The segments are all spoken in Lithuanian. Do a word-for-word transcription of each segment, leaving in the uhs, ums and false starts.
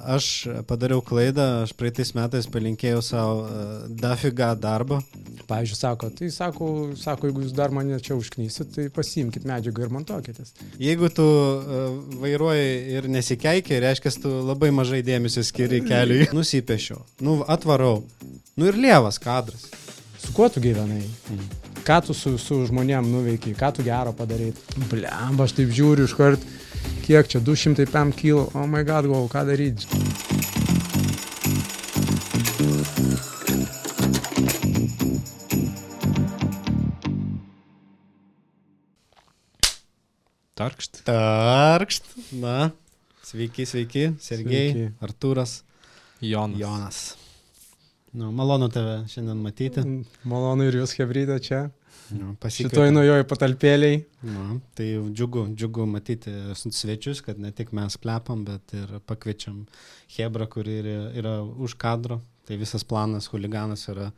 aš padariau klaidą, aš praeitais metais palinkėjau savo uh, dafiga darbo. Pavyzdžiui, sako, tai sako, sako, jeigu jūs dar mane čia užknysit, tai pasiimkit medžiagą ir montuokitės. Jeigu tu uh, vairuoji ir nesikeikia, reiškia, tu labai mažai dėmesio skiri keliui. Nusipiešiau, nu atvarau, nu ir lievas kadras. Su kuo tu gyvenai? Mm. Ką tu su, su žmonėm nuveikiai, ką tu gero padaryt? Blemba, aš taip žiūriu iš kart, kiek čia, du šimtai penki kilų, oh my god, galvoju, ką daryti? Tarkšt. Tarkšt, na, sveiki, sveiki, Sergej, Sveiki. Artūras, Jonas. Jonas. Nu, malonu tave šiandien matyti. Malonu ir jūs, hebrytė, čia. Nu, Šitoj nuojoj patalpėliai. Nu, tai džiugu, džiugu matyti svečius, kad ne tik mes klepam, bet ir pakviečiam Hebrą, kuri yra, yra už kadro. Tai visas planas, huliganas yra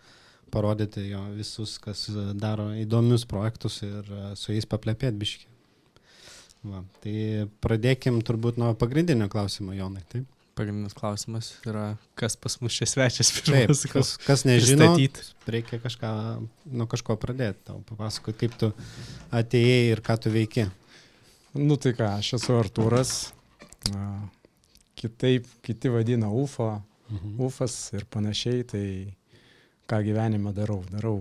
parodyti jo visus, kas daro įdomius projektus ir su jais paplepėt biškį. Va, tai pradėkim turbūt nuo pagrindinio klausimo, Jonai, taip? Pagrindinis klausimas yra, kas pas mus čia svečias Taip, pirmas. kas, kas nežino, pristatyt. reikia kažką, nuo kažko pradėti. Tau papasakot, kaip tu atėjai ir ką tu veiki. Nu tai ką, aš esu Artūras. A, Kitaip, kiti vadina U F O, Mhm. UFAS ir panašiai. Tai ką gyvenime darau? Darau,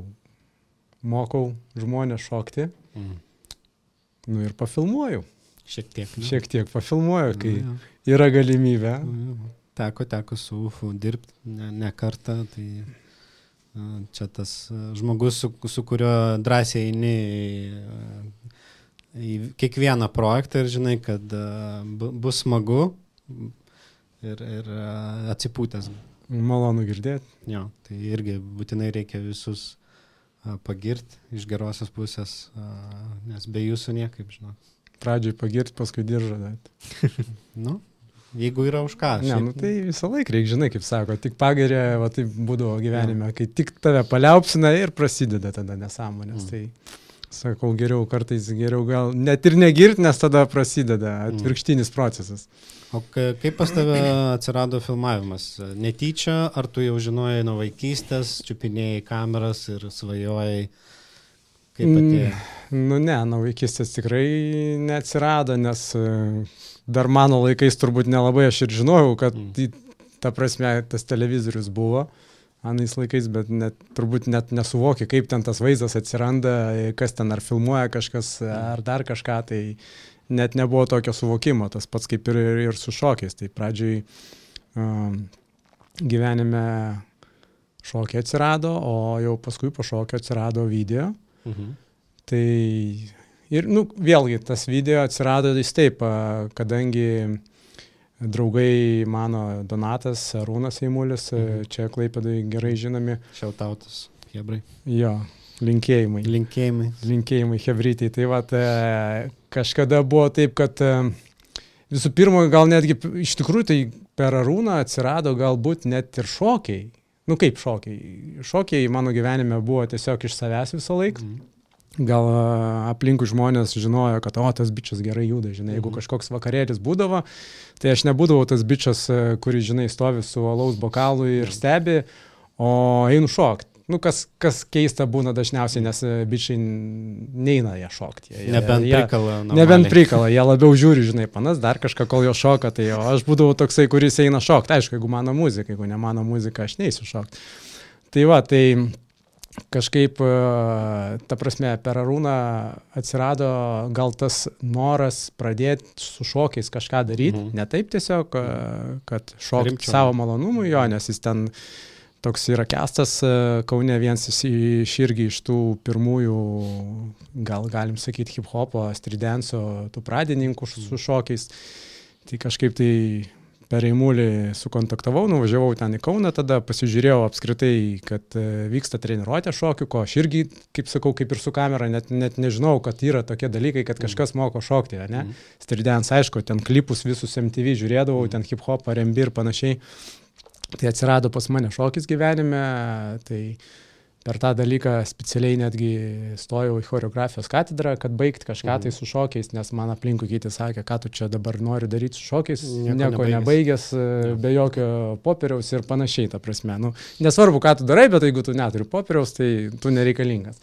mokau žmonės šokti. Mhm. Nu ir pafilmuoju. Šiek tiek. Ne? Šiek tiek pafilmuoju, kai Nu, yra galimybė. jo. Teko, teko su U F O dirbti ne, ne kartą, tai a, čia tas a, žmogus, su, su kuriuo drąsiai eini į, a, į kiekvieną projektą ir žinai, kad a, bu, bus smagu ir, ir a, atsipūtęs. Malonu girdėti. Jo, tai irgi būtinai reikia visus a, pagirti iš gerosios pusės, a, nes be jūsų niekaip, žinau. Pradžioj pagirti, paskui diržą dėti. Nu, jeigu yra už ką. Ne, šiaip- nu tai visą laiką reikia, žinai, kaip sako, tik pagerė, va taip būdavo gyvenime, kai tik tave paliaupsina ir prasideda tada nesąmonės. Mm. Tai sakau, geriau kartais, geriau gal net ir negirti, nes tada prasideda atvirkštinis procesas. O ka- kaip pas tave atsirado filmavimas? Netyčia, ar tu jau žinojai nuo vaikystės, čiupinėjai kameras ir svajojai, kaip atėjo? Nu ne, nuo vaikystės tikrai neatsirado, nes e, dar mano laikais turbūt nelabai aš ir žinojau, kad Mm. mm. ta prasme tas televizorius buvo anais laikais, bet net, turbūt net nesuvokia, kaip ten tas vaizdas atsiranda, kas ten ar filmuoja kažkas, ar dar kažką, tai net nebuvo tokio suvokimo, tas pats kaip ir, ir, ir su šokiais. Tai pradžioj um, gyvenime šokiai atsirado, o jau paskui po šokio atsirado video. Mhm. Tai ir, nu, vėlgi, tas video atsirado jis taip, a, kadangi draugai mano Donatas, Arūnas Eimulis, Mhm. čia Klaipėdai gerai žinomi, Šiautautas, Hebrai. jo, linkėjimai. Linkėjimai. Linkėjimai Hebrytei. Tai va, kažkada buvo taip, kad e, visų pirma, gal netgi p- iš tikrųjų tai per Arūną atsirado galbūt net ir šokiai. Nu kaip šokiai? Šokiai mano gyvenime buvo tiesiog iš savęs visą laiką. Mhm. Gal a, aplinkui žmonės žinojo, kad o, tas bičias gerai juda, žinai, jeigu Mhm. kažkoks vakarėlis būdavo, tai aš nebūdavau tas bičias, a, kuris, žinai, stovi su alaus bokalu ir stebi, o einu šokti. Nu, kas, kas keista būna dažniausiai, nes a, bičiai n- neina jie šokti. Jie, Nebent jie, prikala. Nebent prikala, jie labiau žiūri, žinai, panas dar kažką, kol jo šoka, tai o aš būdavau toksai, kuris eina šokti. Aišku, jeigu mano muzika, jeigu ne mano muzika, aš neįsiu šokti. Tai va, tai kažkaip, a, ta prasme, per Arūną atsirado gal tas noras pradėti su šokiais kažką daryti, Mhm. ne taip tiesiog, a, kad šokti Rimčiau. savo malonumui, jo, nes jis ten toks yra Kestas, a, Kaune vienas iš iš irgi iš tų pirmųjų, gal galim sakyti, hip-hopo, stridenso, tų pradininkų su su šokiais. Tai kažkaip tai per Eimulį sukontaktavau, nuvažiavau ten į Kauną, tada pasižiūrėjau apskritai, kad e, vyksta treniruotė šokių, ko aš irgi, kaip sakau, kaip ir su kamera, net, net nežinau, kad yra tokie dalykai, kad kažkas moko šokti, ne? Mhm. Stridens, aišku, ten klipus visus M T V žiūrėdavau, ten hip-hop, R and B ir panašiai. Tai atsirado pas mane šokis gyvenime, tai per tą dalyką specialiai netgi stojau į choreografijos katedrą, kad baigti kažką tai su šokiais, nes man aplinkui kiti sakė, ką tu čia dabar nori daryti su šokiais, nieko, nieko nebaigęs, be jokio popieriaus ir panašiai, ta prasme. Nu, nesvarbu, ką tu darai, bet jeigu tu neturi popieriaus, tai tu nereikalingas.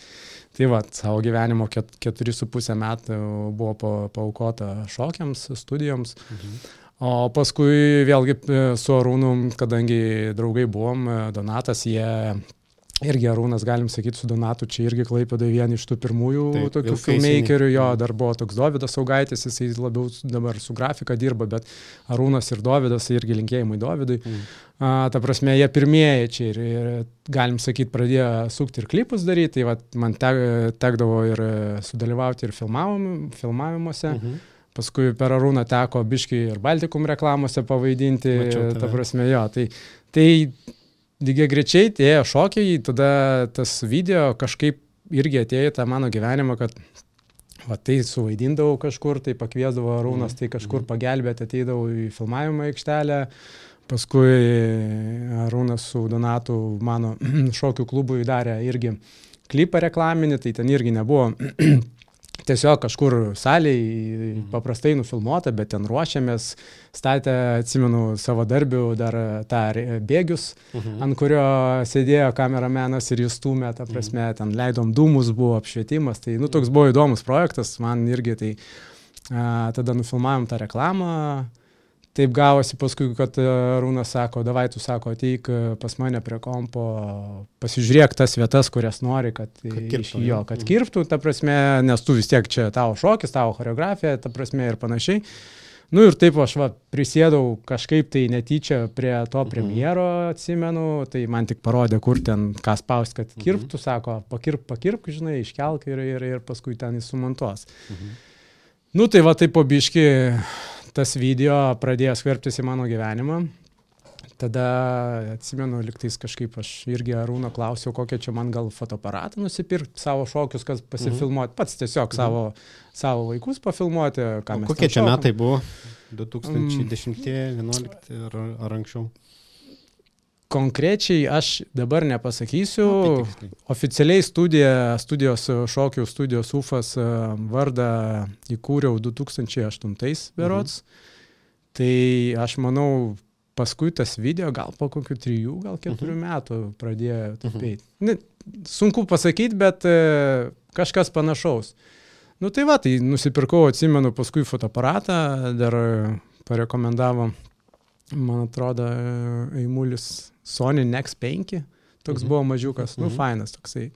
Tai va, savo gyvenimo ket, keturi su pusę metų buvo pa, paaukota šokiams, studijoms. Mhm. O paskui vėlgi su Arūnu, kadangi draugai buvom, Donatas, jie irgi Arūnas, galim sakyti, su Donatu, čia irgi Klaipėdoje vieni iš tų pirmųjų taip, tokių filmmakerių, jo, dar buvo toks Dovydas Saugaitis, jisai labiau dabar su grafika dirba, bet Arūnas ir Dovydas, irgi linkėjimai Dovydui. Mm. A, ta prasme, jie pirmieji čia ir, ir galim sakyti, pradėjo sukti ir klipus daryti, tai va, man te, tekdavo ir sudalyvauti ir filmavim, filmavimuose. Mm-hmm. Paskui per Arūną teko biškį ir Baltikum reklamose pavaidinti, ta prasme, jo, tai... tai lygiai grečiai ėjo šokiai, tada tas video kažkaip irgi atėjo į tą mano gyvenimą, kad va, tai suvaidindavau kažkur, tai pakviesdavo Arūnas, tai kažkur pagelbėti, ateidavau į filmavimo aikštelę, paskui Arūnas su Donatu mano šokių klubui darė irgi klipą reklaminį, tai ten irgi nebuvo tiesiog kažkur salėj paprastai nufilmuota, bet ten ruošiamės, statė, atsimenu, savo darbių dar tą bėgius, uh-huh. ant kurio sėdėjo kameramenas ir jis stūmė, ta prasme, uh-huh. ten leidom dūmus, buvo apšvietimas, tai, nu, toks buvo įdomus projektas, man irgi, tai a, tada nufilmavom tą reklamą. Taip gavosi paskui, kad Arūnas sako, davai tu sako, ateik pas mane prie kompo, pasižiūrėk tas vietas, kurias nori, kad, kad kirptų, jo, kad kirptų, ta prasme, nes tu vis tiek čia tavo šokis, tavo choreografija, ta prasme ir panašiai. Nu ir taip aš va, prisėdau kažkaip tai netyčia prie to premjero, atsimenu, tai man tik parodė, kur ten ką spaust, kad kirptų, sako, pakirp, pakirp, žinai, iškelk ir, ir, ir paskui ten jis sumontuos. Mhm. Nu tai va, taip po biškį tas video pradėjo skverbtis į mano gyvenimą. Tada, atsimenu, liktais kažkaip aš irgi Arūno klausiau, kokią čia man gal fotoaparatą nusipirkti, savo šokius, kas pasifilmuoti, pats tiesiog mhm. savo, savo vaikus pafilmuoti. Ką mes kokie čia metai buvo? du tūkstančiai dešimti, vienuolikti ar, ar anksčiau? Konkrečiai aš dabar nepasakysiu. No, oficialiai studija, studijos šokių studijos UFAS vardą įkūriau du tūkstančiai aštuntais berods. Mhm. Tai aš manau, paskui tas video gal po kokių trijų, gal keturių mhm. metų pradėjo tapėti. Mhm. Sunku pasakyti, bet kažkas panašaus. Nu tai va, tai nusipirkau, atsimenu, paskui fotoaparatą, dar parekomendavo, man atrodo, Eimulis Sony Nex penki, toks mhm. buvo mažiukas, nu, mhm. fainas toksai.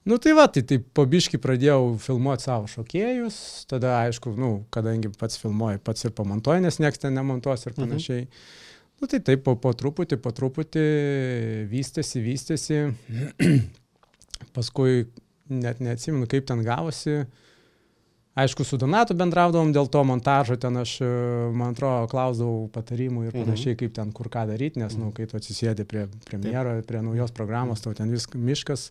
Nu, tai va, tai, tai po biškį pradėjau filmuoti savo šokėjus, tada, aišku, nu, kadangi pats filmuoju, pats ir pamontuoju, nes nieks ten nemontuos ir panašiai. Mhm. Nu, tai taip, po, po truputį, po truputį vystėsi, vystėsi. Paskui net neatsimenu, kaip ten gavosi. Aišku, su Donatu bendraudavom dėl to montažo, ten aš, man atrodo, klausdavau patarimų ir panašiai, kaip ten kur ką daryti, nes, nu, kai tu atsisėdi prie premjero, prie naujos programos, tau ten vis miškas.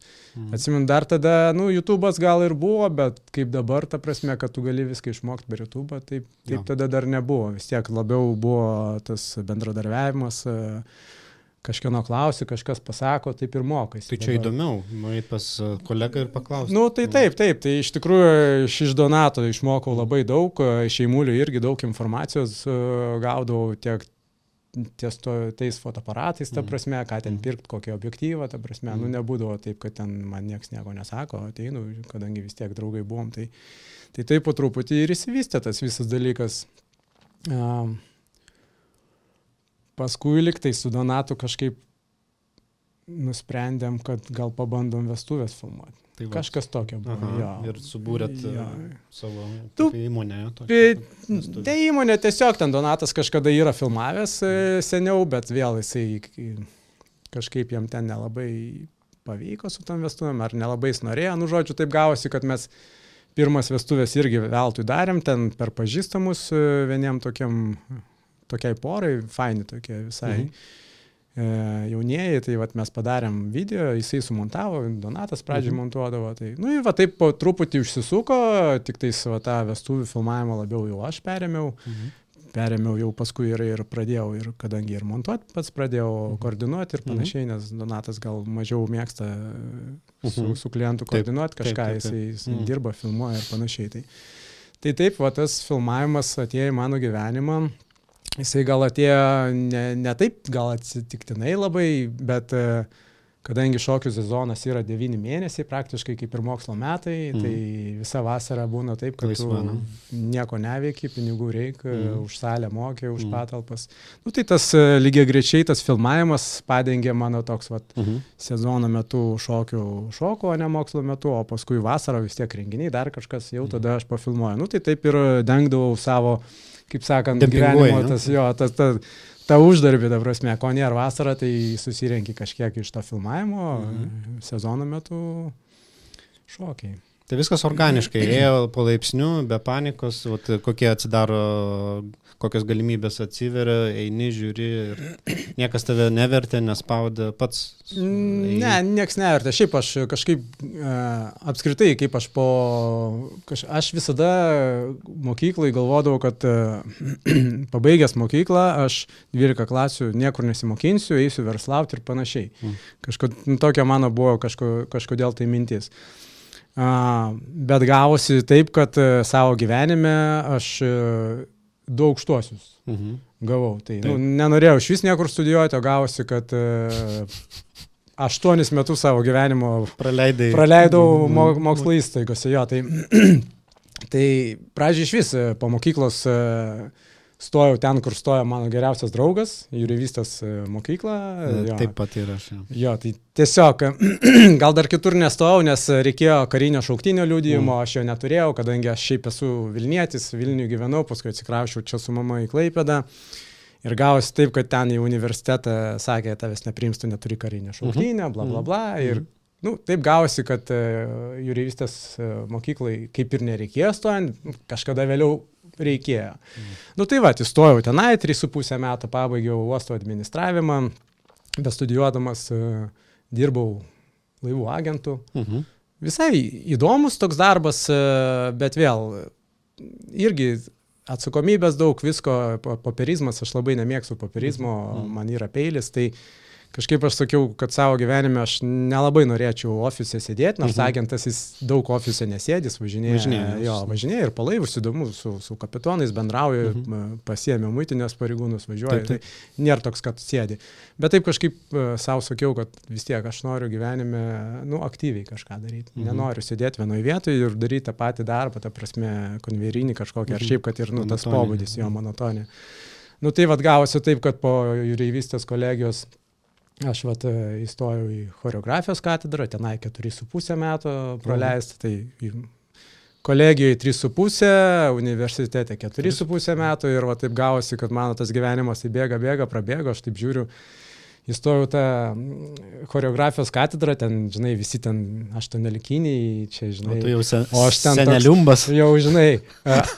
Atsimenu, dar tada, nu, YouTube'as gal ir buvo, bet kaip dabar, ta prasme, kad tu gali viską išmokti per YouTube'ą, taip, taip tada dar nebuvo. Vis tiek labiau buvo tas bendradarbiavimas, kažkieno klausi, kažkas pasako, taip ir mokais. Tai čia dabar įdomiau, nueit pas kolegą ir paklausti. Nu, tai taip, taip, tai iš tikrųjų iš Donato išmokau labai daug, iš Eimulių irgi daug informacijos gaudavau tiek ties to, tais fotoaparatais, ta prasme, ką ten pirkti, kokį objektyvą, ta prasme, mm. nu nebūdavo taip, kad ten man nieks nieko nesako, ateinu, kadangi vis tiek draugai buvom, tai tai taip po truputį ir įsivystė tas visas dalykas. Um, Paskui liktai su Donatu kažkaip nusprendėm, kad gal pabandom vestuvės filmuoti. Tai va, kažkas tokio buvo. Aha, jo. Ir subūrėt ja. savo tu, įmonę. Tai įmonė tiesiog, ten Donatas kažkada yra filmavęs seniau, bet vėl jisai kažkaip jam ten nelabai pavyko su tam vestuvėm, ar nelabai jis norėjo. Nu, žodžiu, taip gavosi, kad mes pirmas vestuvės irgi veltui darėm, ten per pažįstamus vieniem tokiam tokiai porai, faini tokie visai mhm. e, jaunieji, tai vat mes padarėm video, jisai sumontavo, Donatas pradžiai mhm. montuodavo, tai, nu, va taip po truputį užsisuko, tik tais va tą vestuvių filmavimą labiau jau aš perėmiau, mhm. perėmiau jau paskui ir, ir pradėjau, ir kadangi ir montuoti pats pradėjau mhm. koordinuoti ir panašiai, nes Donatas gal mažiau mėgsta su, mhm. su klientu koordinuoti kažką, taip, taip, taip. jisai, jisai mhm. dirba, filmuoja ir panašiai. Tai, tai taip, va, tas filmavimas atėjo į mano gyvenimą, jisai gal atėjo ne, ne taip, gal atsitiktinai labai, bet kadangi šokių sezonas yra devyni mėnesiai, praktiškai kaip ir mokslo metai, mm. tai visa vasara būna taip, kad Laisva, tu nieko neveiki, pinigų reikia, mm. už salę mokė, už mm. patalpas. Nu, tai tas lygiai grečiai, tas filmavimas padengė mano toks vat, mm-hmm. sezono metu šokių šoko, o ne mokslo metu, o paskui vasarą vis tiek renginiai, dar kažkas, jau mm. tada aš pafilmuoju. Nu, tai taip ir dengdavau savo, kaip sakant, gyvenimo, tas jo, tas, tas, ta uždarbį, ta prasme, ko nėra vasara, tai susirenki kažkiek iš to filmavimo, mhm. sezono metu šokiai. Tai viskas organiškai, ėjo palaipsniu, be panikos, vat, kokie atsidaro, kokios galimybės atsiveria, eini, žiūri ir niekas tave nevertė, nespaudė, pats. Eini. Ne, nieks nevertė. Šiaip aš kažkaip apskritai, kaip aš po... Kaž, aš visada mokyklai galvodavau, kad pabaigęs mokyklą, aš dvylika klasių niekur nesimokinsiu, eisiu verslauti ir panašiai. Mm. Kažko, nu, tokia mano buvo kažko, kažkodėl tai mintis. Uh, bet gavosi taip, kad uh, savo gyvenime aš uh, du aukštuosius uh-huh. gavau. Tai nu, nenorėjau iš vis niekur studijuoti, o gavosi, kad uh, aštuonis metus savo gyvenimo Praleidai. praleidau mo- mokslo įstaigose. Jo, tai, tai pradžiai iš vis po mokyklos uh, stojau ten, kur stojo mano geriausias draugas, jūreivystės mokykla. Jo. Taip pat ir aš. Jo, tai tiesiog gal dar kitur nestojau, nes reikėjo karinio šauktinio liudijimo, mm. aš jo neturėjau, kadangi aš šiaip esu Vilnietis, Vilniuje gyvenau, paskui atsikrausčiau čia su mama į Klaipėdą. Ir gavosi taip, kad ten į universitetą sakė, tavęs nepriims, tu neturi karinio šauktinio, bla bla bla. Ir nu, taip gavosi, kad uh, jūreivystės uh, mokyklai kaip ir nereikėjo stojant, kažkada vėliau reikėjo. Mm. Nu tai va, įstojau tenai, trys su pusę metų pabaigiau uosto administravimą, bestudijuodamas uh, dirbau laivų agentų. Mhm. Visai įdomus toks darbas, uh, bet vėl irgi atsakomybės daug, visko, popierizmas, aš labai nemėgstu popierizmo, mhm. man yra peilis, tai kažkaip aš sakiau, kad savo gyvenime aš nelabai norėčiau ofise sėdėti, nors mhm. agentas jis daug ofise nesėdis, važinėja, važinėja, jo, važinėja ir palaivus įdomu, su, su kapitonais bendrauju, mhm. pasiėmė muitinės pareigūnus, važiuoju, taip, taip. Tai nėra toks, kad sėdi. Bet taip kažkaip uh, savo sakiau, kad vis tiek aš noriu gyvenime, nu, aktyviai kažką daryti. Mhm. Nenoriu sėdėti vienoje vietoje ir daryti tą patį darbą, ta prasme, konverinį kažkokį, mhm. ar šiaip, kad ir, nu, tas pobūdis, jo, monotonė. Nu, tai vad gavosi taip, kad po jūreivystės kolegijos aš vat įstojau į choreografijos katedrą, tenai keturi su pusę metų praleisti, tai kolegijoje trys su pusę, universitete keturi su pusę metų ir va taip gavosi, kad mano tas gyvenimas tai bėga, bėga, prabėgo, aš taip žiūriu, įstojau tą choreografijos katedrą, ten, žinai, visi ten aštuoniolikiniai, čia, žinai. O tu jau sen, o aš ten seneliumbas. Toks, jau, žinai,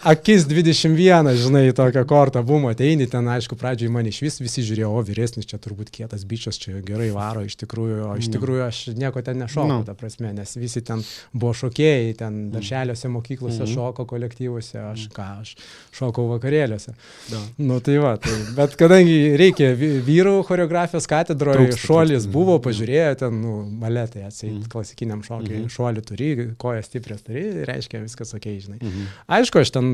akis dvidešimt vienas, žinai, tokią kortą bumo, ateini, ten, aišku, pradžioj man iš vis visi žiūrėjo, o vyresnis, čia turbūt kietas bičias, čia gerai varo, iš tikrųjų, o iš tikrųjų aš nieko ten nešokau, no. ta prasme, nes visi ten buvo šokėjai, ten darželiuose, mokyklose mm-hmm. šoko kolektyvuose, aš ką, aš šokau vakarėliuose. Da. Nu, tai va, tai, bet kadangi reikia vyrų choreografijos katedroje šuolis buvo, pažiūrėjo ten, nu, baletai, atseit, mm. klasikiniam šokiai, mm-hmm. šuolį turi, kojas stiprias turi, reiškia viskas okei, žinai. Mm-hmm. Aišku, aš ten,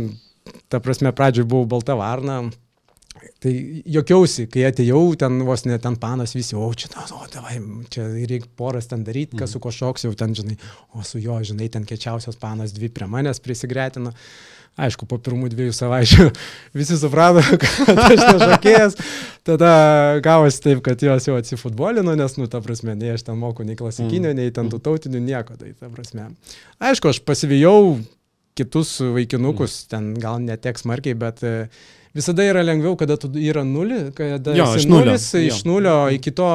ta prasme, pradžioj buvau balta varna, tai jokiausi, kai atėjau, ten vos ne ten panas visi, o čia, o, tavai, čia reikia poras ten daryti, kas mm. su ko šoks, jau ten, žinai, o su jo, žinai, ten kečiausias panas dvi prie manęs prisigretino. Aišku, po pirmų dviejų savaičių visi suprato, kad aš nešokėjęs, tada gavosi taip, kad jos jau atsifutbolino, nes, nu, ta prasme, nei aš ten moku, nei klasikinio, nei ten tų tautinių, nieko, tai ta prasme. Aišku, aš pasivijau kitus vaikinukus, ten gal netiek smarkiai, bet visada yra lengviau, kada tu yra nulį, kada jo, esi nulis, iš nulio iki to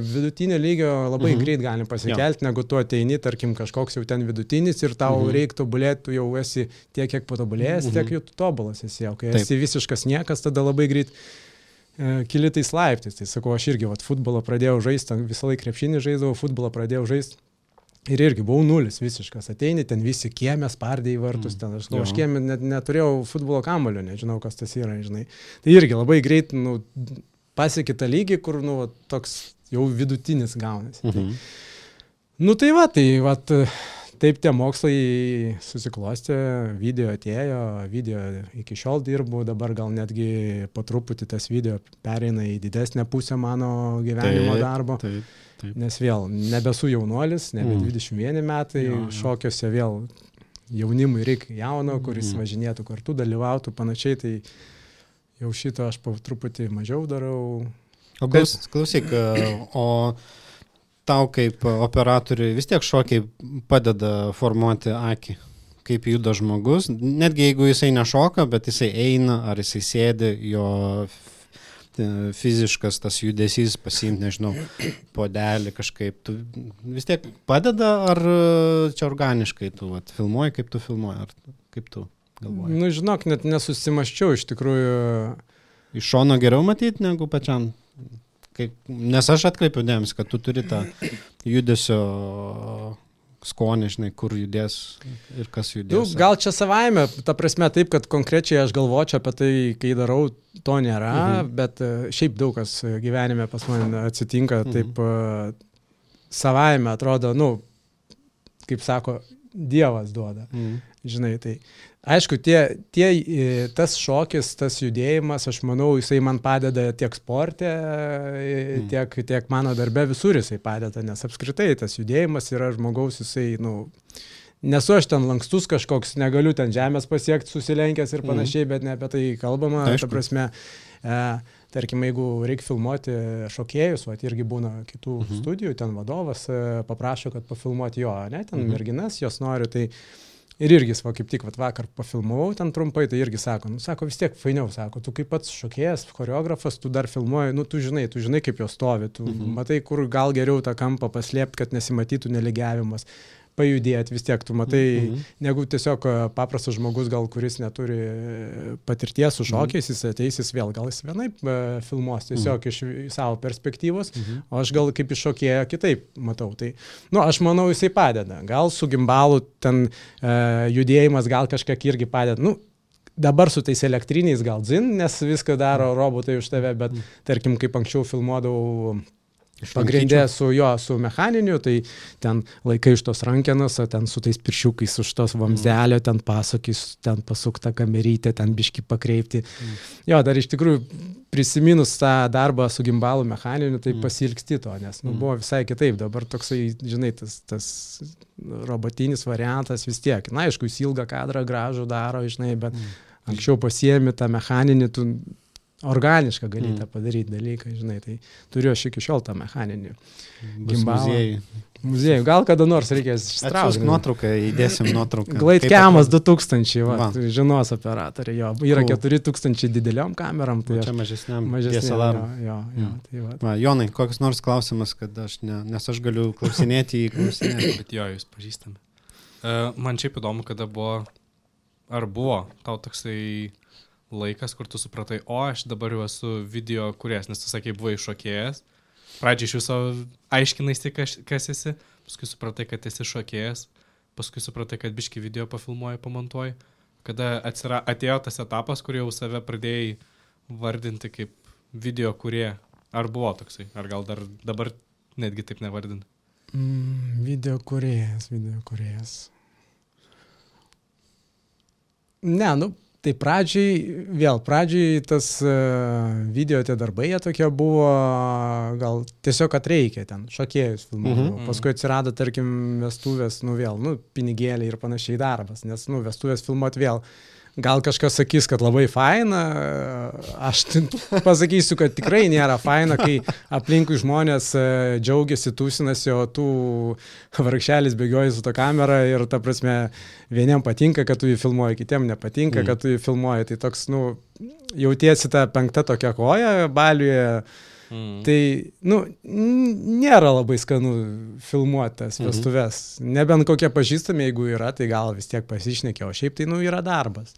vidutinio lygio labai mhm. greit galim pasikelti, negu tu ateini, tarkim, kažkoks jau ten vidutinis ir tau mhm. reiktų tobulėti, tu jau esi tiek, kiek patobulėjęs, mhm. tiek jau tu tobulas esi, o kai Taip. esi visiškas niekas, tada labai greit e, kili tais laiptais. Tai sakau, aš irgi vat, futbolą pradėjau žaisti, visą laiką krepšinį žaisdavau, futbolą pradėjau žaisti. Ir irgi buvau nulis visiškas. Ateini, ten visi kiemė spardė į vartus, ten aš, nu, aš kiemė net neturėjau futbolo kamulio, nežinau, kas tas yra, žinai. Tai irgi labai greit, nu, pasiekė tą lygį, kur, nu, toks jau vidutinis gaunasi. Mhm. Tai, nu, tai va, tai va, taip tie mokslai susiklostė, video atėjo, video iki šiol dirbu, dabar gal netgi po truputį tas video pereina į didesnę pusę mano gyvenimo Taip, darbo. Taip. Taip. Nes vėl nebesu jaunuolis, nebe Mm. dvidešimt vieneri metai, Jo, jo. šokiuose vėl jaunimui reikia jauno, kuris Mhm. važinėtų kartu, dalyvautų panašiai, tai jau šito aš po truputį mažiau darau. O klaus, klausyk, o tau kaip operatoriui vis tiek šokiai padeda formuoti akį, kaip juda žmogus, netgi jeigu jisai nešoka, bet jisai eina, ar jisai sėdi, jo fiziškas tas judesys pasiimti, nežinau, podelį kažkaip, tu vis tiek padeda, ar čia organiškai tu vat, filmuoji, kaip tu filmuoji, ar kaip tu galvoji? Nu, žinok, net nesusimaščiau iš tikrųjų. Iš šono geriau matyti negu pačiam? Kaip, nes aš atkreipiu dėmesį, kad tu turi tą judesio skonį, žinai, kur judės ir kas Nu, judės. gal čia savaime, ta prasme taip, kad konkrečiai aš galvočiau apie tai, kai darau, to nėra, Mhm. bet e, šiaip daug kas gyvenime pas mane atsitinka, Mhm. taip e, savaime atrodo, nu, kaip sako, Dievas duoda. Mhm. Žinai, tai aišku, tie, tie, e, tas šokis, tas judėjimas, aš manau, jisai man padeda tiek sporte, e, Mm. tiek, tiek mano darbe, visur jisai padeda, nes apskritai tas judėjimas yra žmogaus, jisai, nu, nesu aš ten lankstus kažkoks, negaliu ten žemės pasiekti susilenkęs ir panašiai, mm. bet ne apie tai kalbama, Aišku. ta prasme, e, tarkim, jeigu reikia filmuoti šokėjus, o irgi būna kitų Mhm. studijų, ten vadovas e, paprašo, kad pafilmuoti jo, ne, ten Mhm. merginas, jos nori, tai ir irgi, va, kaip tik vat, vakar pafilmavau ten trumpai, tai irgi sako, nu, sako, vis tiek fainiau, sako, tu kaip pats šokėjas, choreografas, tu dar filmuoji, nu, tu žinai, tu žinai, kaip jos stovi, tu Mhm. matai, kur gal geriau tą kampą paslėpti, kad nesimatytų nelygiavimas, pajudėti, vis tiek tu matai, Mhm. negu tiesiog e, paprastas žmogus, gal kuris neturi e, patirties su šokiais, jis ateis, jis vėl, gal jis vienaip e, filmuos, tiesiog iš iš savo perspektyvos, Mhm. o aš gal kaip iš šokėjo kitaip matau. Tai, nu, aš manau, jisai padeda. Gal su gimbalu ten e, judėjimas gal kažkiek irgi padeda. Nu, dabar su tais elektriniais gal dzin, nes viską daro robotai už tave, bet tarkim, kaip anksčiau filmuodavau pagrindė su jo, su mechaniniu, tai ten laikai iš tos rankenos, o ten su tais piršiukais už tos vamzelio, ten pasakys, ten pasukta kamerytė, ten biški pakreipti. Mm. Jo, dar iš tikrųjų prisiminus tą darbą su gimbalu mechaniniu, tai Mm. pasilgsti to, nes nu, Mm. buvo visai kitaip. Dabar toksai, žinai, tas, tas robotinis variantas vis tiek. Na, aišku, jis ilgą kadrą gražų daro, žinai, bet Mm. anksčiau pasiemi tą mechaninį, tu organišką gali Mm. tą padaryti dalyką, žinai, tai turiu aš iki šiol tą mechaninį. Bus Gimbalą. muziejai. Muziejų, gal kada nors reikės Atsiųsk ištraukti. nuotrauką, įdėsim nuotrauką. Glaitkiamas Kaip du tūkstančiai, va, Va. tai žinos operatoriai, jo. Yra Cool. keturi tūkstančiai dideliom kameram, tai atrodo? aš Čia mažesniam mažesnė. D S L R. Jo, jo, jo, Mm. tai va. Va, Jonai, koks nors klausimas, kad aš ne, nes aš galiu klausinėti į klausinėti. Bet jo, jūs pažįstami. Uh, man šiaip įdomu, kada buvo, ar buvo tau toksai laikas, kur tu supratai, o aš dabar jau esu video kūrėjas, nes tu sakei, buvai šokėjas. Pradžiai iš viso aiškinai, kas, kas esi, paskui supratai, kad esi šokėjas, paskui supratai, kad biški video pafilmuoji, pamontuoji. Kada atsira, atėjo tas etapas, kur jau save pradėjai vardinti kaip video kūrėja. Ar buvo toksai? Ar gal dar dabar netgi taip nevardinti? Mm, video kūrėjas, video kūrėjas. Ne, nu, tai pradžiai, vėl pradžiai tas uh, video tie darbai jie tokie buvo, gal tiesiog kad reikia ten, šokėjus filmuodavo. Mhm. Paskui atsirado, tarkim, vestuvės, nu vėl, nu, pinigėliai ir panašiai darbas, nes, nu, vestuvės filmuoti vėl. Gal kažkas sakys, kad labai faina, aš pasakysiu, kad tikrai nėra faina, kai aplinkui žmonės e, džiaugiasi, tūsinasi, o tu vargšelis bėgioji su to kamera ir, ta prasme, vieniem patinka, kad tu jį filmuoji, kitiem nepatinka, Mm. kad tu jį filmuoji. Tai toks, nu, jautiesi tą penktą tokią koją baliuje. Mm. Tai, nu, n- nėra labai skanu filmuotas Mhm. vestuves. Nebent kokie pažįstami, jeigu yra, tai gal vis tiek pasišnekė, o šiaip tai, nu, yra darbas.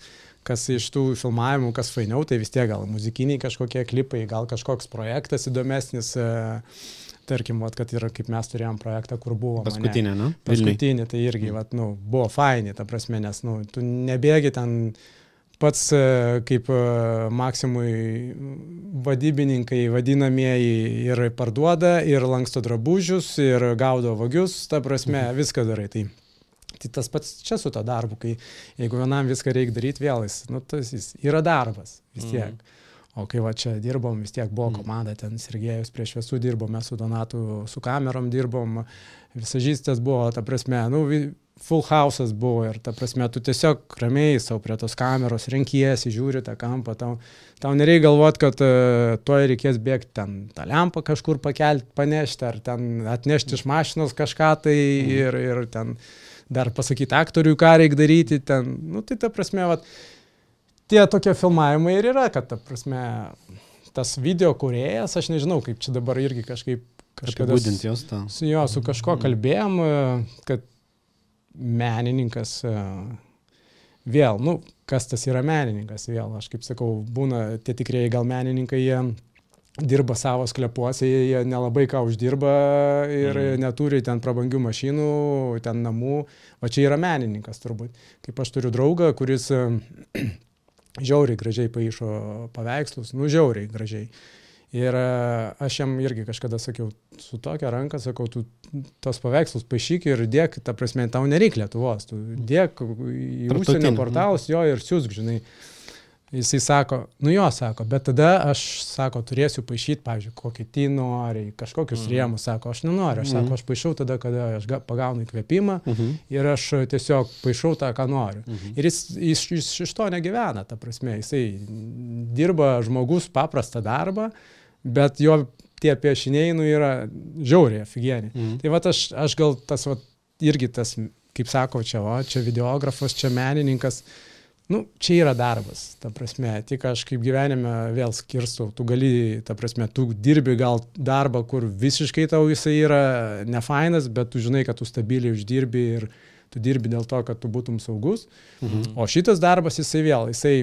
kas iš tų filmavimų, kas fainiau, tai vis tiek gal muzikiniai kažkokie klipai, gal kažkoks projektas įdomesnis, tarkim, vat, kad yra, kaip mes turėjom projektą, kur buvo. Paskutinė, mane, nu? Paskutinė, tai irgi, vat, nu, buvo faini, ta prasme, nes, nu, tu nebėgi ten pats kaip Maksimui vadybininkai vadinamieji ir parduoda, ir lanksto drabužius, ir gaudo vagius, ta prasme, viską darai. Tai, tai tas pats čia su to darbu, kai jeigu vienam viską reikia daryti, vėl jis, nu, tas jis yra darbas vis tiek. O kai va čia dirbom, vis tiek buvo komanda, ten Sergejus prie šviesų dirbom, mes su Donatu, su kamerom dirbom, visažistės buvo, ta prasme, nu, full house'as buvo ir ta prasme, tu tiesiog ramiai savo prie tos kameros renkiesi, žiūri tą kampą, tau, tau nereikia galvoti, kad uh, tuoj reikės bėgti ten tą lempą kažkur pakelti, panešti, ar ten atnešti iš mašinos kažką tai ir, ir ten dar pasakyti aktoriui, ką reikia daryti, ten, nu tai ta prasme, vat, tie tokie filmavimai ir yra, kad ta prasme, tas video kūrėjas, aš nežinau, kaip čia dabar irgi kažkaip kažkada apibūdinti jos tą. Su jo, su kažko kalbėjom, kad menininkas vėl, nu, kas tas yra menininkas, vėl, aš kaip sakau, būna tie tikrieji gal menininkai, jie dirba savo sklepuose, jie nelabai ką uždirba ir mm. neturi ten prabangių mašinų, ten namų, o čia yra menininkas turbūt. Kaip aš turiu draugą, kuris žiauriai gražiai paišo paveikslus, nu žiauriai gražiai. Ir aš jam irgi kažkada sakiau, su tokia ranka, sakau, tu tos paveikslus paišyk ir dėk, ta prasme, tau nereikia Lietuvos, tu dėk į užsienio portalus jo ir siūsk, žinai. Jisai sako, nu jo, sako, bet tada aš, sako, turėsiu paišyti, pavyzdžiui, kokį ty nori, kažkokius mm. rėmus, sako, aš nenoriu, aš mm. sako, aš paišau tada, kada aš pagaunu įkvėpimą mm-hmm. ir aš tiesiog paišau tą, ką noriu. Mm-hmm. Ir jis, jis, jis iš to negyvena, ta prasme, jisai dirba žmogus paprastą darbą, bet jo tie piešiniai, nu, yra žiauriai afigieni. Mm. Tai vat aš, aš gal tas, vat, irgi tas, kaip sako, čia, o, čia videografas, čia menininkas, nu, čia yra darbas, ta prasme, tik aš kaip gyvenime vėl skirstau, tu gali, ta prasme, tu dirbi gal darbą, kur visiškai tau jisai yra nefainas, bet tu žinai, kad tu stabiliai uždirbi ir tu dirbi dėl to, kad tu būtum saugus. Mhm. O šitas darbas, jisai vėl, jisai,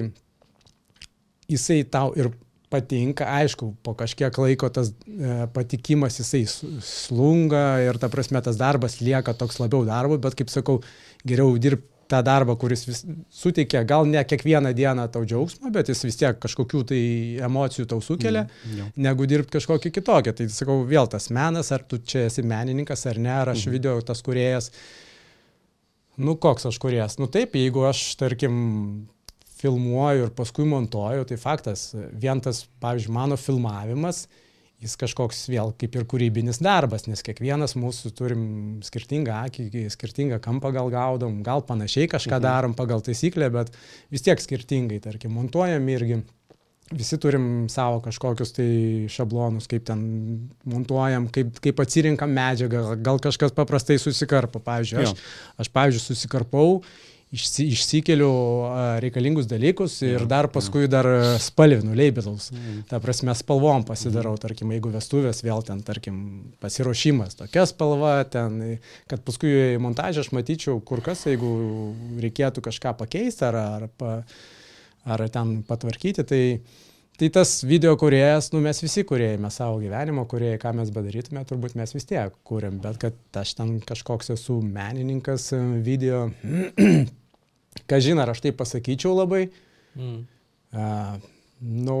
jisai tau ir patinka, aišku, po kažkiek laiko tas e, patikimas jisai slunga ir ta prasme tas darbas lieka toks labiau darbu, bet kaip sakau, geriau dirbti tą darbą, kuris vis suteikia, gal ne kiekvieną dieną tau džiaugsmą, bet jis vis tiek kažkokių tai emocijų tau sukelia, mm, negu dirbti kažkokį kitokią. Tai sakau, vėl tas menas, ar tu čia esi menininkas ar ne, ar aš mm. video tas kūrėjas. Nu, koks aš kūrėjas? Nu taip, jeigu aš, tarkim, filmuoju ir paskui montuoju, tai faktas, vien tas, pavyzdžiui, mano filmavimas, jis kažkoks vėl kaip ir kūrybinis darbas, nes kiekvienas mūsų turim skirtingą akį, skirtingą kampą gal gaudom, gal panašiai kažką darom pagal taisyklę, bet vis tiek skirtingai, tarkim, montuojam irgi. Visi turim savo kažkokius tai šablonus, kaip ten montuojam, kaip, kaip atsirinkam medžiagą, gal kažkas paprastai susikarpo. Pavyzdžiui, aš, aš pavyzdžiui, susikarpau, Išsi, išsikeliu reikalingus dalykus ir dar paskui dar spalvinu, labelus. Mm. Ta prasme, spalvom pasidarau, tarkim, jeigu vestuvės vėl ten, tarkim, pasiruošimas, tokia spalva, ten, kad paskui montažą aš matyčiau kur kas, jeigu reikėtų kažką pakeisti ar, ar, pa, ar ten patvarkyti, tai, tai tas video kūrėjas, nu mes visi kūrėjai, mes savo gyvenimo kūrėjai, ką mes bedarytume, turbūt mes vis tiek kūrėm, bet kad aš ten kažkoks esu menininkas video, ką žinai, ar aš tai pasakyčiau labai, mm. uh, nu,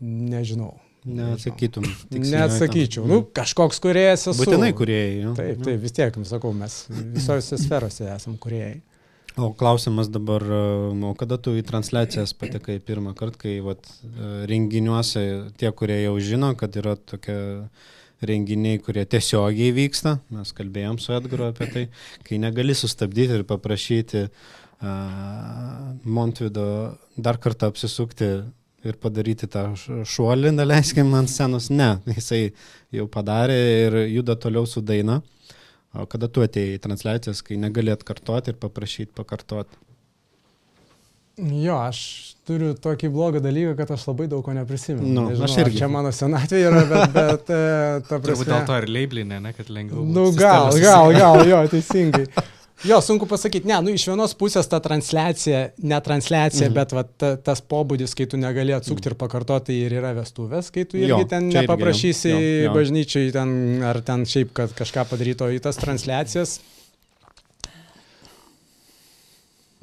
nežinau. Neatsakytum. Neatsakyčiau. Nu, kažkoks kūrėjas esu. Būtinai kūrėjai. Jo. Taip, taip, vis tiek, sakau, mes visose sferose esam kūrėjai. O klausimas dabar, o kada tu į transliacijas patekai pirmą kartą, kai vat, renginiuose tie, kurie jau žino, kad yra tokie renginiai, kurie tiesiogiai vyksta, mes kalbėjom su Edgaru apie tai, kai negali sustabdyti ir paprašyti uh, Montvydo dar kartą apsisukti ir padaryti tą šuolį, neleiskim ant scenos, ne, jisai jau padarė ir juda toliau su daina. O kada tu atėjai į transliacijas, kai negali atkartoti ir paprašyti pakartoti? Jo, aš turiu tokį blogą dalyką, kad aš labai daug ko neprisimenu. Nu, Nežinau, aš irgi. Čia mano senatvė yra, bet, bet ta prasme... Turbūt dėl to ir leiblinė, ne, kad lengviau. Nu, gal, gal, gal, jo, teisingai. Jo, sunku pasakyti, ne, nu iš vienos pusės ta transliacija, ne transliacija, Mhm. bet va, ta, tas pobūdis, kai tu negali atsukti ir pakartoti, tai ir yra vestuvės, kai tu irgi Jo, ten čia irgi, nepaprašysi jo, jo. bažnyčiai ten, ar ten šiaip, kad kažką padaryto į tas transliacijas.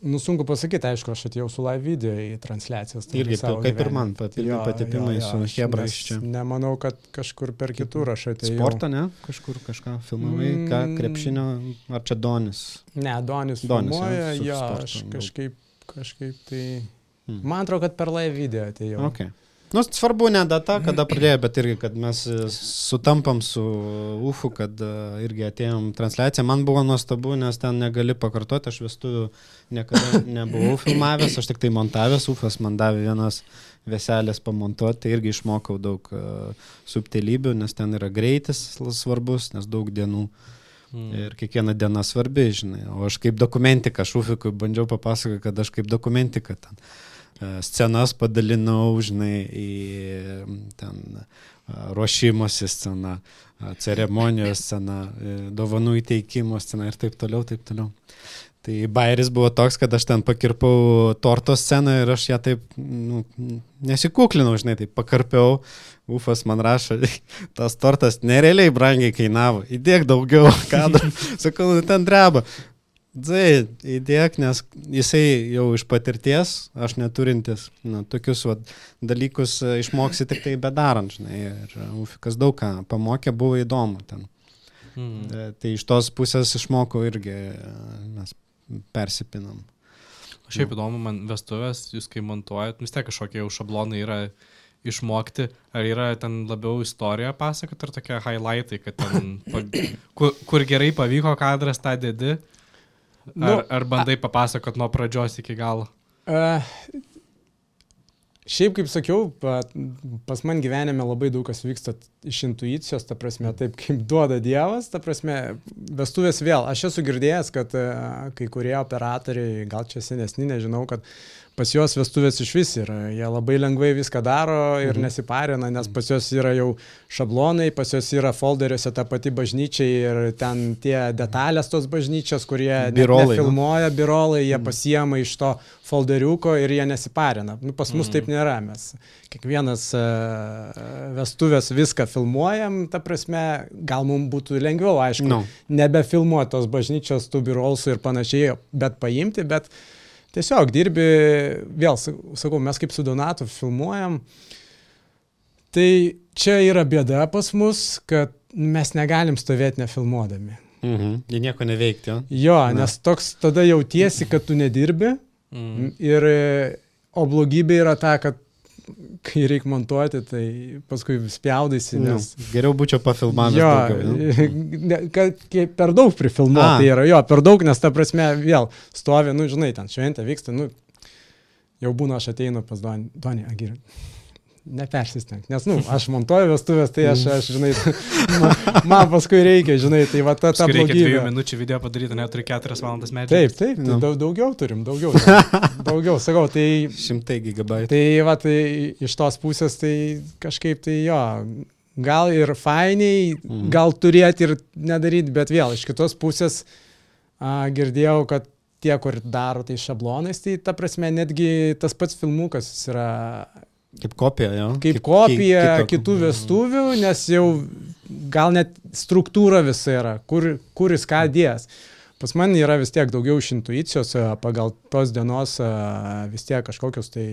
Nu, sunku pasakyti, aišku, aš atėjau su live video į transliacijas. tai Irgi savo kaip ir gyvenime. man, pat, irgi Jo, patepimai jo, jo, su aš hebra nes iš čia. Nemanau, kad kažkur per kitur aš atėjau. Sportą, ne? Kažkur kažką filmavai, ką Mm. krepšinio, ar čia Donis? Ne, Donis Donis, filmuoja, jo, su jo, sportu aš daug. kažkaip, kažkaip tai... Hmm. Man atrodo, kad per live video atėjau. Okay. Nu, svarbu ne data, kada pradėjo, bet irgi, kad mes sutampam su U F U, kad uh, irgi atėjom transliaciją. Man buvo nuostabu, nes ten negali pakartoti, aš vestuvių niekada nebuvau filmavęs, aš tik tai montavęs, U F As man davė vienas veselės pamontuoti, tai irgi išmokau daug uh, subtilybių, nes ten yra greitis svarbus, nes daug dienų. Mm. Ir kiekviena diena svarbi, žinai. O aš kaip dokumentiką, aš Ufikui bandžiau papasakoti, kad aš kaip dokumentiką ten scenas padalinau, žinai, į ten ruošimosi sceną, ceremonijos sceną, dovanų įteikimo sceną ir taip toliau, taip toliau. Tai bairis buvo toks, kad aš ten pakirpau torto sceną ir aš ją taip, nu, nesikuklinau, žinai, taip pakarpiau. Ufas man rašo, tas tortas nerealiai brangiai kainavo, įdėk daugiau kadrų, sakau, ten dreba. Dzai, įdėk, nes jisai jau iš patirties, aš neturintis, nu, tokius va, dalykus išmoksi tik tai bedarant, žinai, ir Ufikas daug ką pamokė, buvo įdomu ten. Mm. Tai iš tos pusės išmokau irgi, mes persipinam. Šiaip įdomu, man vestuvės, jūs kai montuojat, vis tiek kažkokie jau šablonai yra išmokti, ar yra ten labiau istoriją pasakot, ar tokie highlightai, kad ten, kur, kur gerai pavyko kadras, tą dedi? Ar, nu, ar bandai papasakot nuo pradžios iki galo? Uh, šiaip, kaip sakiau, pas man gyvenime labai daug kas vyksta iš intuicijos, ta prasme, taip kaip duoda Dievas, ta prasme, vestuvės vėl. Aš esu girdėjęs, kad uh, kai kurie operatoriai, gal čia senesni, nežinau, kad pas juos vestuvės iš vis yra. Jie labai lengvai viską daro ir mhm. nesiparina, nes pas juos yra jau šablonai, pas juos yra folderiuose ta pati bažnyčia ir ten tie detalės tos bažnyčios, kurie birolai, filmuoja, birolai, jie mhm. pasiema iš to folderiuko ir jie nesiparina. Nu, pas mus mhm. taip nėra. Mes kiekvienas uh, vestuvės viską filmuojam, ta prasme, gal mums būtų lengviau, aišku, no. nebefilmuoti tos bažnyčios, tų birolsų ir panašiai, bet paimti, bet tiesiog dirbi, vėl sakau, mes kaip su Donatu filmuojam, tai čia yra bėda pas mus, kad mes negalim stovėti nefilmuodami. Mhm. Jie nieko neveikti, jo? Jo, Na. nes toks tada jautiesi, kad tu nedirbi, mhm. ir, o blogybė yra ta, kad kai reikia montuoti, tai paskui spjaudaisi, nes... Nu, geriau būčiau pafilmavęs jo, daugiau. Ne, kad per daug prifilmuoti tai yra, jo, per daug, nes ta prasme vėl stovi, nu, žinai, ten šventė vyksta, nu, jau būna, aš ateinu pas Donį, Donį, agir, nepersistenk, nes, nu, aš montuoju vestuvės, tai aš, aš žinai, man, man paskui reikia, žinai, tai va ta, ta blogybė. Reikia dviejų minučių video padaryti, neturi keturias valandas medžiagos. Taip, taip, tai daug, daugiau turim, daugiau, daugiau, sakau, tai... Šimtai gigabaitų. Tai va, tai iš tos pusės, tai kažkaip tai jo, gal ir fainiai, mm. gal turėti ir nedaryti, bet vėl, iš kitos pusės a, girdėjau, kad tie, kur daro tai šablonais, tai ta prasme, netgi tas pats filmukas yra... Kaip kopija, jo. Kaip kopija kaip, kitų vestuvių, nes jau gal net struktūra visa yra, kur, kur jis ką dės. Pas man yra vis tiek daugiau iš intuicijos, pagal tos dienos vis tiek kažkokius tai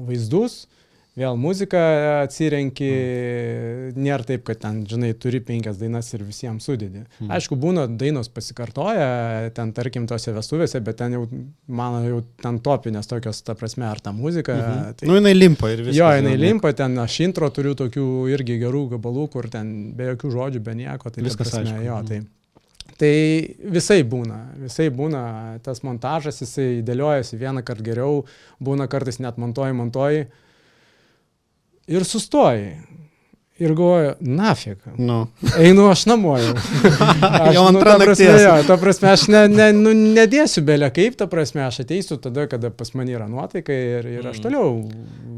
vaizdus. Vėl muziką atsirenki, mm. nėra taip, kad ten, žinai, turi penkias dainas ir visiems sudėdi. Mm. Aišku, būna dainos pasikartoja, ten, tarkim, tose vestuvėse, bet ten jau, mano, jau ten topinės tokios, ta prasme, ar ta muzika. Mm-hmm. Tai, nu, jinai limpa ir viskas. Jo, jinai limpa, ten aš intro turiu tokių irgi gerų gabalų, kur ten be jokių žodžių, be nieko. Tai viskas prasme, aišku. Jo, tai, tai visai būna, visai būna, tas montažas, jisai dėliojasi vieną kartą geriau, būna kartais net montuoji, montuoji. Ir sustoji. Ir galvoju, nafik. Nu. Einu aš namo jau. Aš, Jau nu, antra ta prasme, nakties. jo, ta prasme, aš ne, ne, nu, nedėsiu belė kaip, ta prasme, aš ateisiu tada, kada pas mane yra nuotaika ir, ir aš toliau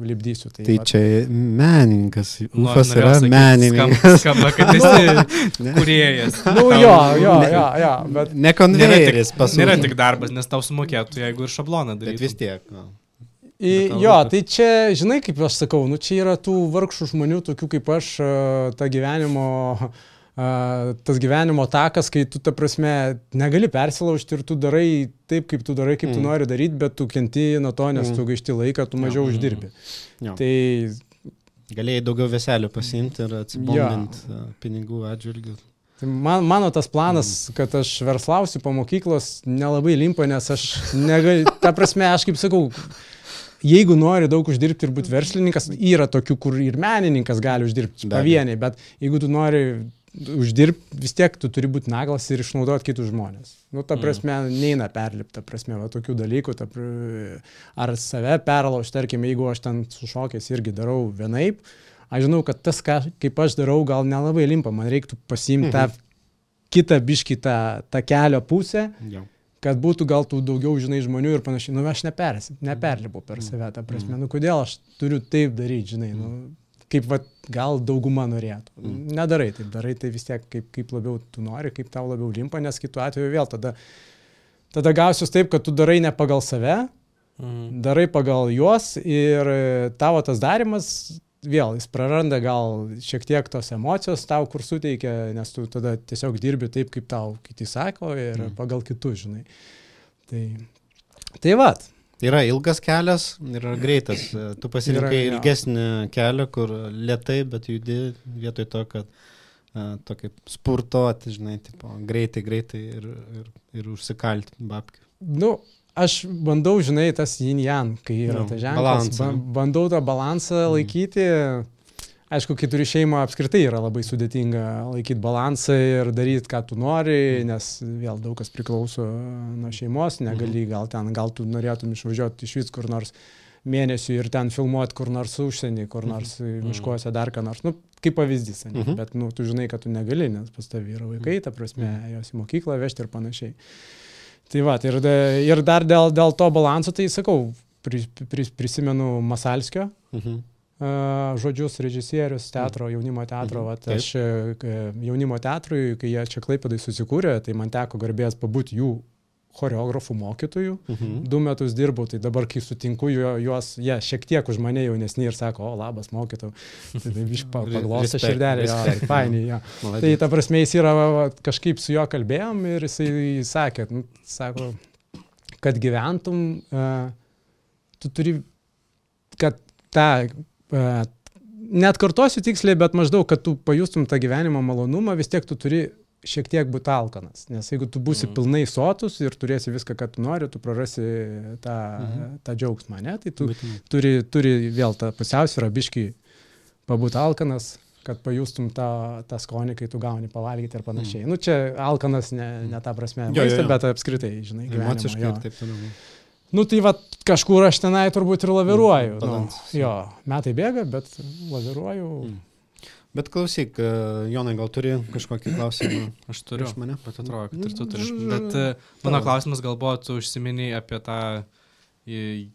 lipdysiu. Tai, Tai vat. čia menininkas. Nu, Ufas norėjau yra sakyt, menininkas. Skamba, skamba kad esi kūrėjas. Nu, jo, jo, jo, jo, bet Ne Nėra konvejeris tik, pas nėra mus. tik darbas, nes tau sumokėtų, jeigu ir šabloną Bet vis darytum. tiek. nu. į, Bet tau jo, rūpi. tai čia, žinai, kaip aš sakau, nu čia yra tų vargšų žmonių, tokių kaip aš, a, ta gyvenimo, a, tas gyvenimo takas, kai tu, ta prasme, negali persilaužti ir tu darai taip, kaip tu darai, kaip mm. tu Mm. nori daryti, bet tu kenti nuo to, nes Mm. tu gaišti laiką, tu mažiau Jo. uždirbi. Jo. Tai Galėjai daugiau veselių pasiimti ir atsibondinti pinigų atžvilgių. Tai man, mano tas planas, kad aš verslausiu po mokyklos, nelabai limpa, nes aš negaliu, ta prasme, aš kaip sakau, jeigu nori daug uždirbti ir būti verslininkas, yra tokių, kur ir menininkas gali uždirbti Be abejo. pavieniai, bet jeigu tu nori uždirbti, vis tiek tu turi būti naglas ir išnaudoti kitus žmonės. Nu, ta prasme, neina perlipti, ta prasme, va, tokių dalykų, ta, pr- ar save perlaužti, tarkim, jeigu aš ten su šokiais irgi darau vienaip, aš žinau, kad tas, ką, kaip aš darau, gal nelabai limpa, man reiktų pasiimti tą kitą biškį tą, tą kelio pusę, Jo. kad būtų gal tų daugiau, žinai, žmonių ir panašiai. Nu, aš nepersi, neperlipu per save, ta prasme. Nu, kodėl aš turiu taip daryti, žinai, nu, kaip va, gal dauguma norėtų. Nedarai taip, darai tai vis tiek, kaip, kaip labiau tu nori, kaip tau labiau limpa, nes kitu atveju vėl tada, tada gausius taip, kad tu darai ne pagal save, Mhm. darai pagal juos ir tavo tas darimas, vėl jis praranda gal šiek tiek tos emocijos tau, kur suteikia, nes tu tada tiesiog dirbi taip, kaip tau kiti sako ir Mm. pagal kitus, žinai. Tai, tai vat. Yra ilgas kelias ir yra greitas. Tu pasirinkai Yra, jo. ilgesnį kelią, kur lietai, bet judi vietoj to, kad uh, tokį spurtuoti, žinai, tipo, greitai, greitai ir, ir, ir užsikalti babkių. Nu, aš bandau, žinai, tas yin-yang, kai yra Nu, tas ženklas. balansą. Ba bandau tą balansą laikyti. Aišku, kai turi šeimą, apskritai yra labai sudėtinga laikyti balansą ir daryti, ką tu nori, nes vėl daug kas priklauso nuo šeimos, negali, gal ten, gal tu norėtum išvažiuoti iš vis kur nors mėnesių ir ten filmuoti kur nors užsienį, kur nors miškuose dar ką nors. Nu, kaip pavyzdys, ne? Mhm. Bet nu, tu žinai, kad tu negali, nes pas tavį yra vaikai, ta prasme, jos į mokyklą vežti ir panašiai. Tai va, ir, ir dar dėl, dėl to balanso, tai sakau, pri, pri, prisimenu Masalskio Mhm. uh, žodžius, režisierius teatro, jaunimo teatro. Mhm. Vat, Taip. aš e, jaunimo teatrui, kai jie čia Klaipėdai susikūrė, tai man teko garbės pabūti jų choreografų mokytojų. Mhm. Du metus dirbau, tai dabar, kai sutinku jo, juos, jie šiek tiek už mane jaunesni ir sako, o labas mokytau. Tai taip iš pa- paglosto Respect, širdelį, jo, respect. fainiai, jo. Tai Maladėc. ta prasme, jis yra, va, va, kažkaip su juo kalbėjom ir jisai sakė, nu, sako, kad gyventum, uh, tu turi, kad tą, uh, net kartosiu tiksliai, bet maždaug, kad tu pajustum tą gyvenimo malonumą, vis tiek tu turi šiek tiek būti alkanas. Nes jeigu tu būsi Mhm. pilnai sotus ir turėsi viską, ką tu nori, tu prarasi tą, Mhm. tą džiaugsmą, ne? Tai tu Būtinai. turi, turi vėl tą pusiausvyrą biškį pabūti alkanas, kad pajustum tą, tą skonį, kai tu gauni pavalgyti ir panašiai. Mm. Nu, čia alkanas ne, ne ta prasme, Jo, jo, maisto, jo. bet apskritai, žinai, gyvenimo. Emociškai Jo. ir taip toliau. Nu, tai va, kažkur aš tenai turbūt ir laviruoju. Mm, Nu, balansas. jo, metai bėga, bet laviruoju. Mm. Bet klausyk, e, Jonai, gal turi kažkokį klausimą Aš turiu, iš mane? bet atrodo, kad ir tu turi. Mm. Bet e, mano Tavo. klausimas gal buvo, tu užsiminiai apie tą į,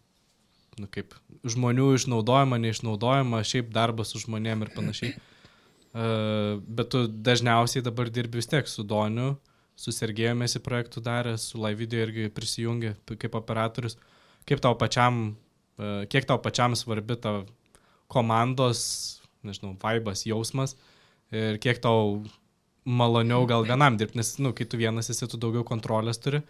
nu, kaip, žmonių išnaudojimą, neišnaudojimą, šiaip darbą su žmonėm ir panašiai. Uh, bet tu dažniausiai dabar dirbi vis tiek su Doniu, su Sergėjomėsi projektų darė, su Live Video irgi prisijungė p- kaip operatorius. Kaip tau pačiam, uh, kiek tau pačiam svarbi ta komandos, nežinau, vaibas, jausmas ir kiek tau maloniau gal vienam dirbti, nes, nu, kai tu vienas esi, tu daugiau kontrolės turi,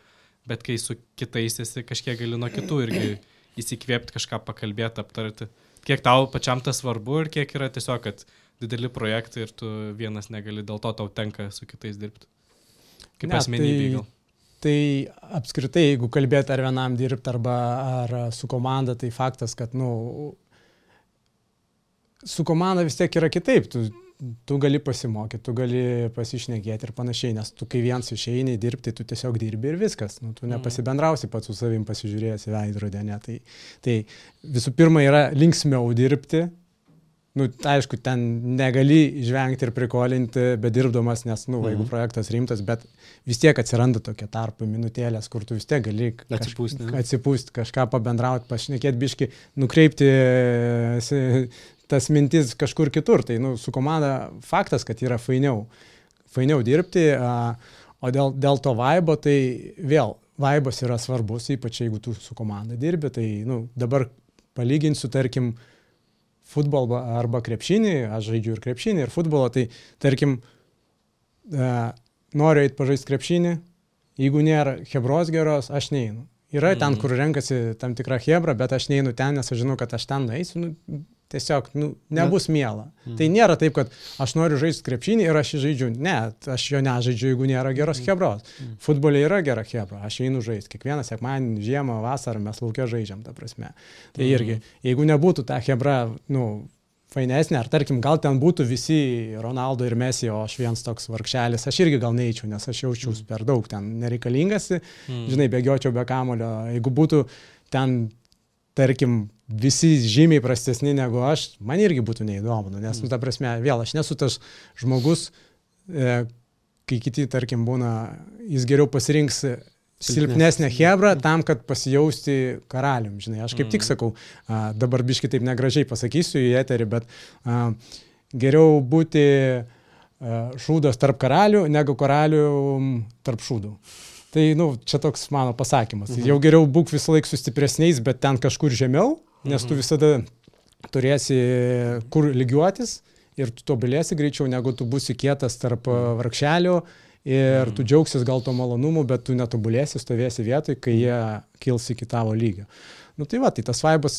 bet kai su kitais esi, kažkiek gali nuo kitų irgi įsikvėpti, kažką pakalbėti, aptarti. Kiek tau pačiam tas svarbu ir kiek yra tiesiog, kad dideli projektai ir tu vienas negali, dėl to tau tenka su kitais dirbti. Kaip Ne, asmenybė gal. Tai apskritai, jeigu kalbėti ar vienam dirbti, arba ar su komanda, tai faktas, kad, nu, su komanda vis tiek yra kitaip. Tu, tu gali pasimokyti, tu gali pasišnekėti ir panašiai, nes tu kai viens išeini dirbti, tu tiesiog dirbi ir viskas. Nu, tu nepasibendrausi pats su savim pasižiūrėjęs į veidrodį, ne. Tai, tai visų pirma yra linksmiau dirbti, nu, aišku, ten negali žvengti ir prikolinti, bedirbdamas, nes, nu, jeigu Mhm. projektas rimtas, bet vis tiek atsiranda tokie tarpai, minutėlės, kur tu vis tiek gali kaž- Atsipūsti, ne? atsipūsti, kažką pabendrauti, pašnekėti biški, nukreipti e, tas mintis kažkur kitur. Tai, nu, su komanda faktas, kad yra fainiau, fainiau dirbti, a, o dėl, dėl to vaibo, tai vėl, vaibas yra svarbus, ypač jeigu tu su komanda dirbi, tai, nu, dabar palyginsiu, tarkim, futbolą arba krepšinį, aš žaidžiu ir krepšinį, ir futbolą, tai tarkim, e, noriu eiti pažaisti krepšinį, jeigu nėra hebros geros, aš neinu. Yra ten, kur renkasi tam tikrą hebrą, bet aš neinu ten, nes aš žinau, kad aš ten nueisiu, nu, tiesiog nu, nebus miela. Mm. Tai nėra taip, kad aš noriu žaisti krepšinį ir aš jį žaidžiu. Ne, aš jo nežaidžiu, jeigu nėra geros hebros. Mm. Futbolė yra gera hebra, aš einu žaisti. Kiekvieną sekmadienį, žiemą, vasarą mes laukia žaidžiam, ta prasme. Tai irgi, jeigu nebūtų ta hebra, nu, fainesnė, ar tarkim, gal ten būtų visi Ronaldo ir Messi, o aš vienas toks vargšelis, aš irgi gal neįčiau, nes aš jaučiausi per daug ten nereikalingas, mm. žinai, bėgiočiau be kamulio. Jeigu būtų ten, tarkim, visi žymiai prastesni negu aš, man irgi būtų neįdomu, nes, mm. nu, ta prasme, vėl, aš nesu tas žmogus, e, kai kiti, tarkim, būna, jis geriau pasirinks silpnesnę hebrą tam, kad pasijausti karalium, žinai. Aš kaip mm. tik sakau, a, dabar biškai taip negražiai pasakysiu į eterį, bet a, geriau būti a, šūdas tarp karalių, negu karalių tarp šūdų. Tai, nu, čia toks mano pasakymas. Mhm. Jau geriau būk visą laiką su stipresniais, bet ten kažkur žemiau, nes mhm. tu visada turėsi kur lygiuotis ir tu tobulėsi greičiau, negu tu būsi kietas tarp vargšelių ir mhm. tu džiaugsis gal to malonumu, bet tu netobulėsi, stovėsi vietoj, kai jie kils iki tavo lygio. Nu tai va, tai tas vaibas,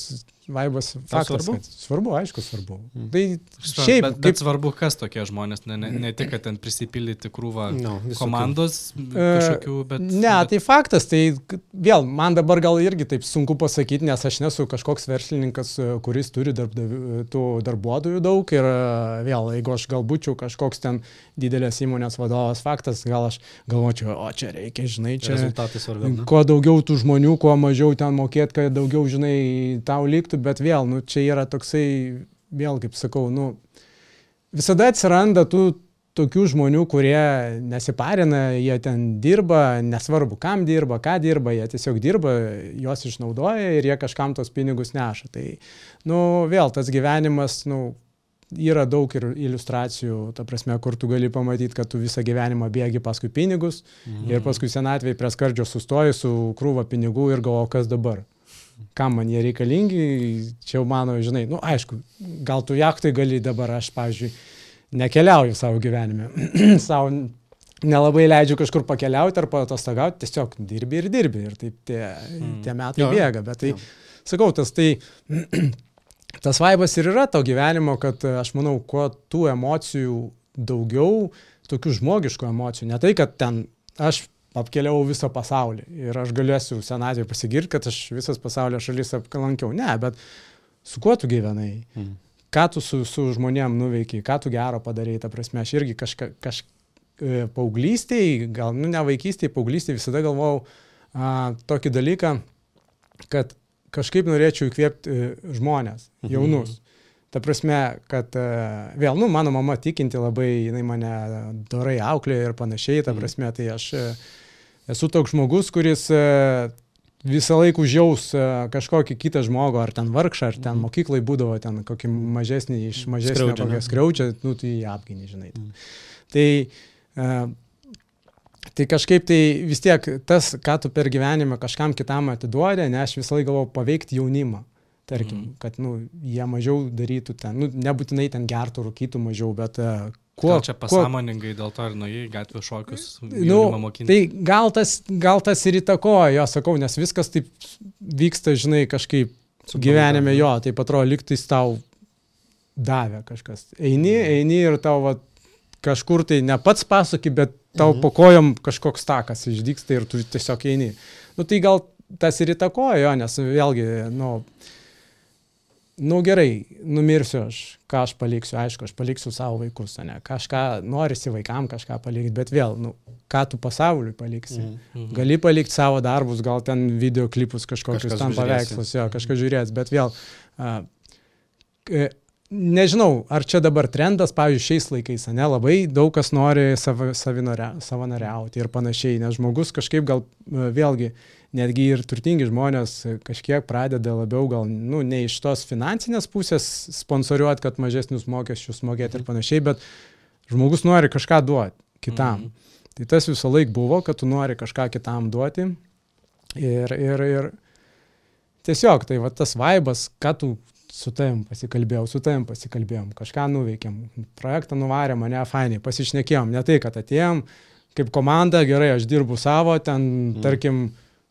vaibas faktas. Svarbu? Kad, svarbu, aišku, svarbu. Mm. Tai šiaip, bet, bet kaip... svarbu, kas tokie žmonės, ne, ne, ne tik, kad ten prisipildyti krūvą no, komandos kažkokių, bet... Ne, bet... tai faktas, tai vėl, man dabar gal irgi taip sunku pasakyti, nes aš nesu kažkoks verslininkas, kuris turi darbdavių, tų darbuotojų daug ir vėl, jeigu aš gal būčiau kažkoks ten didelės įmonės vadovas, faktas, gal aš galvočiau, o čia reikia, žinai, čia... Rezultatai svarbiau, ne? Kuo daugiau tų žmonių, kuo mažiau ten mokėt, kad daugiau, žinai, tau liktų, bet vėl, nu, čia yra toksai, vėl, kaip sakau, nu, visada atsiranda tų tokių žmonių, kurie nesiparina, jie ten dirba, nesvarbu, kam dirba, ką dirba, jie tiesiog dirba, juos išnaudoja ir jie kažkam tos pinigus neša. Tai, nu, vėl, tas gyvenimas, nu, yra daug ir iliustracijų, ta prasme, kur tu gali pamatyti, kad tu visą gyvenimą bėgi paskui pinigus mhm. ir paskui senatvėje prie skardžio sustoji su krūva pinigų ir galvo, kas dabar. Kam man jie reikalingi, čia jau mano, žinai, nu aišku, gal tu jachtai gali dabar, aš, pavyzdžiui, nekeliauju savo gyvenime, savo nelabai leidžiu kažkur pakeliauti ar paatostogauti, tiesiog dirbi ir dirbi ir taip tie, mm. tie metai jo, bėga, bet tai, jo. sakau, tas tai, tas vaibas ir yra to gyvenimo, kad aš manau, kuo tų emocijų daugiau, tokių žmogiškų emocijų, ne tai, kad ten aš apkeliau visą pasaulį ir aš galėsiu senatvėje pasigirti, kad aš visas pasaulio šalis aplankiau. Ne, bet su kuo tu gyvenai? Mm. Ką tu su, su žmonėm nuveikiai? Ką tu gero padarei? Ta prasme, aš irgi kažka, kaž, paauglystėj, gal, nu ne vaikystėj, paauglystėj visada galvojau a, tokį dalyką, kad kažkaip norėčiau įkvėpti žmonės, jaunus. Mm-hmm. Ta prasme, kad vėl, nu, mano mama tikinti labai, jinai mane dorai auklė ir panašiai, ta prasme, tai aš esu toks žmogus, kuris visą laiką užjaus kažkokį kitą žmogų, ar ten vargšą, ar ten mokyklai būdavo ten kokį mažesnį, iš mažesnio kokią skriaudžią, nu, tai jį apginį, žinai. Mm. Tai, tai kažkaip tai vis tiek tas, ką tu per gyvenimą kažkam kitam atiduodė, ne, aš visą laiką galvoju paveikti jaunimą. Tarkim, mm. kad, nu, jie mažiau darytų ten, nu, nebūtinai ten gertų, rūkytų mažiau, bet uh, kuo... Gal čia pasąmoningai kuo, dėl to ir nuėjai gatvės šokius nu, mokinti? Tai gal tas, gal tas ir įtakoja, jo, sakau, nes viskas taip vyksta, žinai, kažkaip Super, gyvenime, jo, taip atrodo, lygtais tau davė kažkas. Eini, eini ir tau va, kažkur tai ne pats pasaky, bet tau mm-hmm. po kojom kažkoks takas išdyksta ir tu tiesiog eini. Nu, tai gal tas ir įtakoja, jo, nes vėlgi, nu... Nu gerai, numirsiu aš, ką aš paliksiu, aišku, aš paliksiu savo vaikus, ne, kažką norisi vaikam kažką palikti, bet vėl, nu, ką tu pasauliui paliksi. Mm-hmm. Gali palikti savo darbus, gal ten videoklipus kažkokius, ten paveikslus, jo, kažką žiūrės, bet vėl, uh, nežinau, ar čia dabar trendas, pavyzdžiui, šiais laikais, ne, labai daug kas nori sav, savanoriauti ir panašiai, nes žmogus kažkaip gal vėlgi, netgi ir turtingi žmonės kažkiek pradeda labiau gal, nu, ne iš tos finansinės pusės sponsoriuoti, kad mažesnius mokesčius mokėti ir panašiai, bet žmogus nori kažką duoti kitam. Mhm. Tai tas visą laik buvo, kad tu nori kažką kitam duoti ir, ir, ir tiesiog, tai va tas vaibas, ką tu su tavim pasikalbėjau, su tavim pasikalbėjom, kažką nuveikėm, projektą nuvarėm, mane fainai, pasišnekėjom, ne tai, kad atėjom kaip komanda, gerai, aš dirbu savo, ten, mm. tarkim,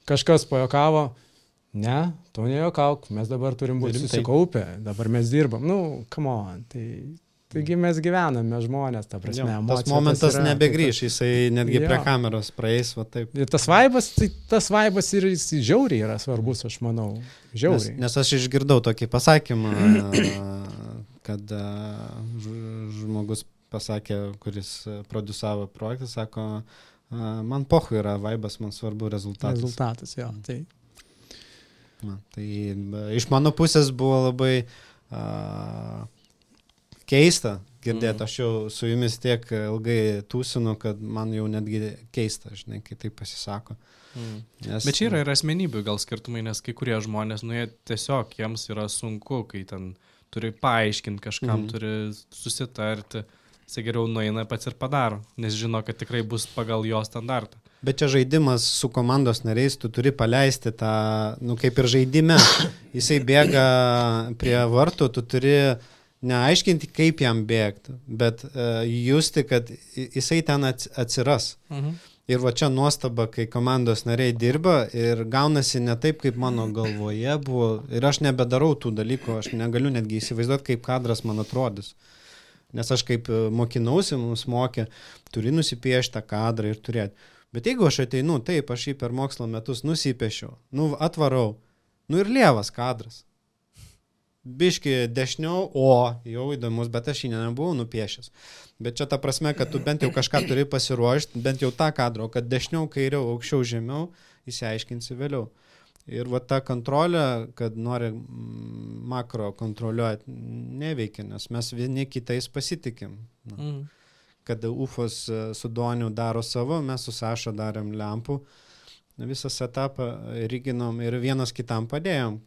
kažkas pajokavo, ne, tu nejokauk, mes dabar turim būti susikaupę, dabar mes dirbam, nu, come on, tai... Taigi mes gyvename žmonės, ta prasme, jo, tas momentas tas yra, nebegrįš, jisai netgi jo. Prie kameros praeis, va taip. Ir tas vaibas, tai tas vaibas ir jis žiauriai yra svarbus, aš manau, žiauriai. Nes, nes aš išgirdau tokį pasakymą, kad žmogus pasakė, kuris produsavo projektą, sako, man pochu yra vaibas, man svarbu rezultatas. Rezultatas, jo, tai. Na, tai iš mano pusės buvo labai... Uh, keista girdėti, aš jau su jumis tiek ilgai tūsinu, kad man jau netgi keista, žinai, kai tai pasisako. Mm. Nes, bet čia yra ir asmenybių gal skirtumai, nes kai kurie žmonės, nu jie tiesiog, jiems yra sunku, kai ten turi paaiškinti kažkam, mm. turi susitarti, jisai geriau nueina pats ir padaro, nes žino, kad tikrai bus pagal jo standartą. Bet čia žaidimas su komandos nariais, tu turi paleisti tą, nu kaip ir žaidime, jisai bėga prie vartų, tu turi neaiškinti, kaip jam bėgti, bet uh, justi, kad jisai ten atsiras. Mhm. Ir va čia nuostaba, kai komandos nariai dirba ir gaunasi ne taip, kaip mano galvoje buvo. Ir aš nebedarau tų dalykų, aš negaliu netgi įsivaizduoti, kaip kadras man atrodys. Nes aš kaip mokinausi, mums mokė, turi nusipiešti tą kadrą ir turėti. Bet jeigu aš ateinu, taip, aš jį per mokslo metus nusipiešiau, nu atvarau, nu ir lievas kadras. Biški dešiniau, o jau įdomus, bet aš jį nebuvau nupiešęs. Bet čia ta prasme, kad tu bent jau kažką turi pasiruošti, bent jau tą kadrą, kad dešiniau, kairiau, aukščiau, žemiau, įsiaiškinsi vėliau. Ir va ta kontrolė, kad nori makro kontroliuoti, neveikia, nes mes vieni kitais pasitikim. Na. Mm. Kad Ufos su Doniu daro savo, mes su Saša darėm lempų, visą setapą ryginom ir vienas kitam padėjom.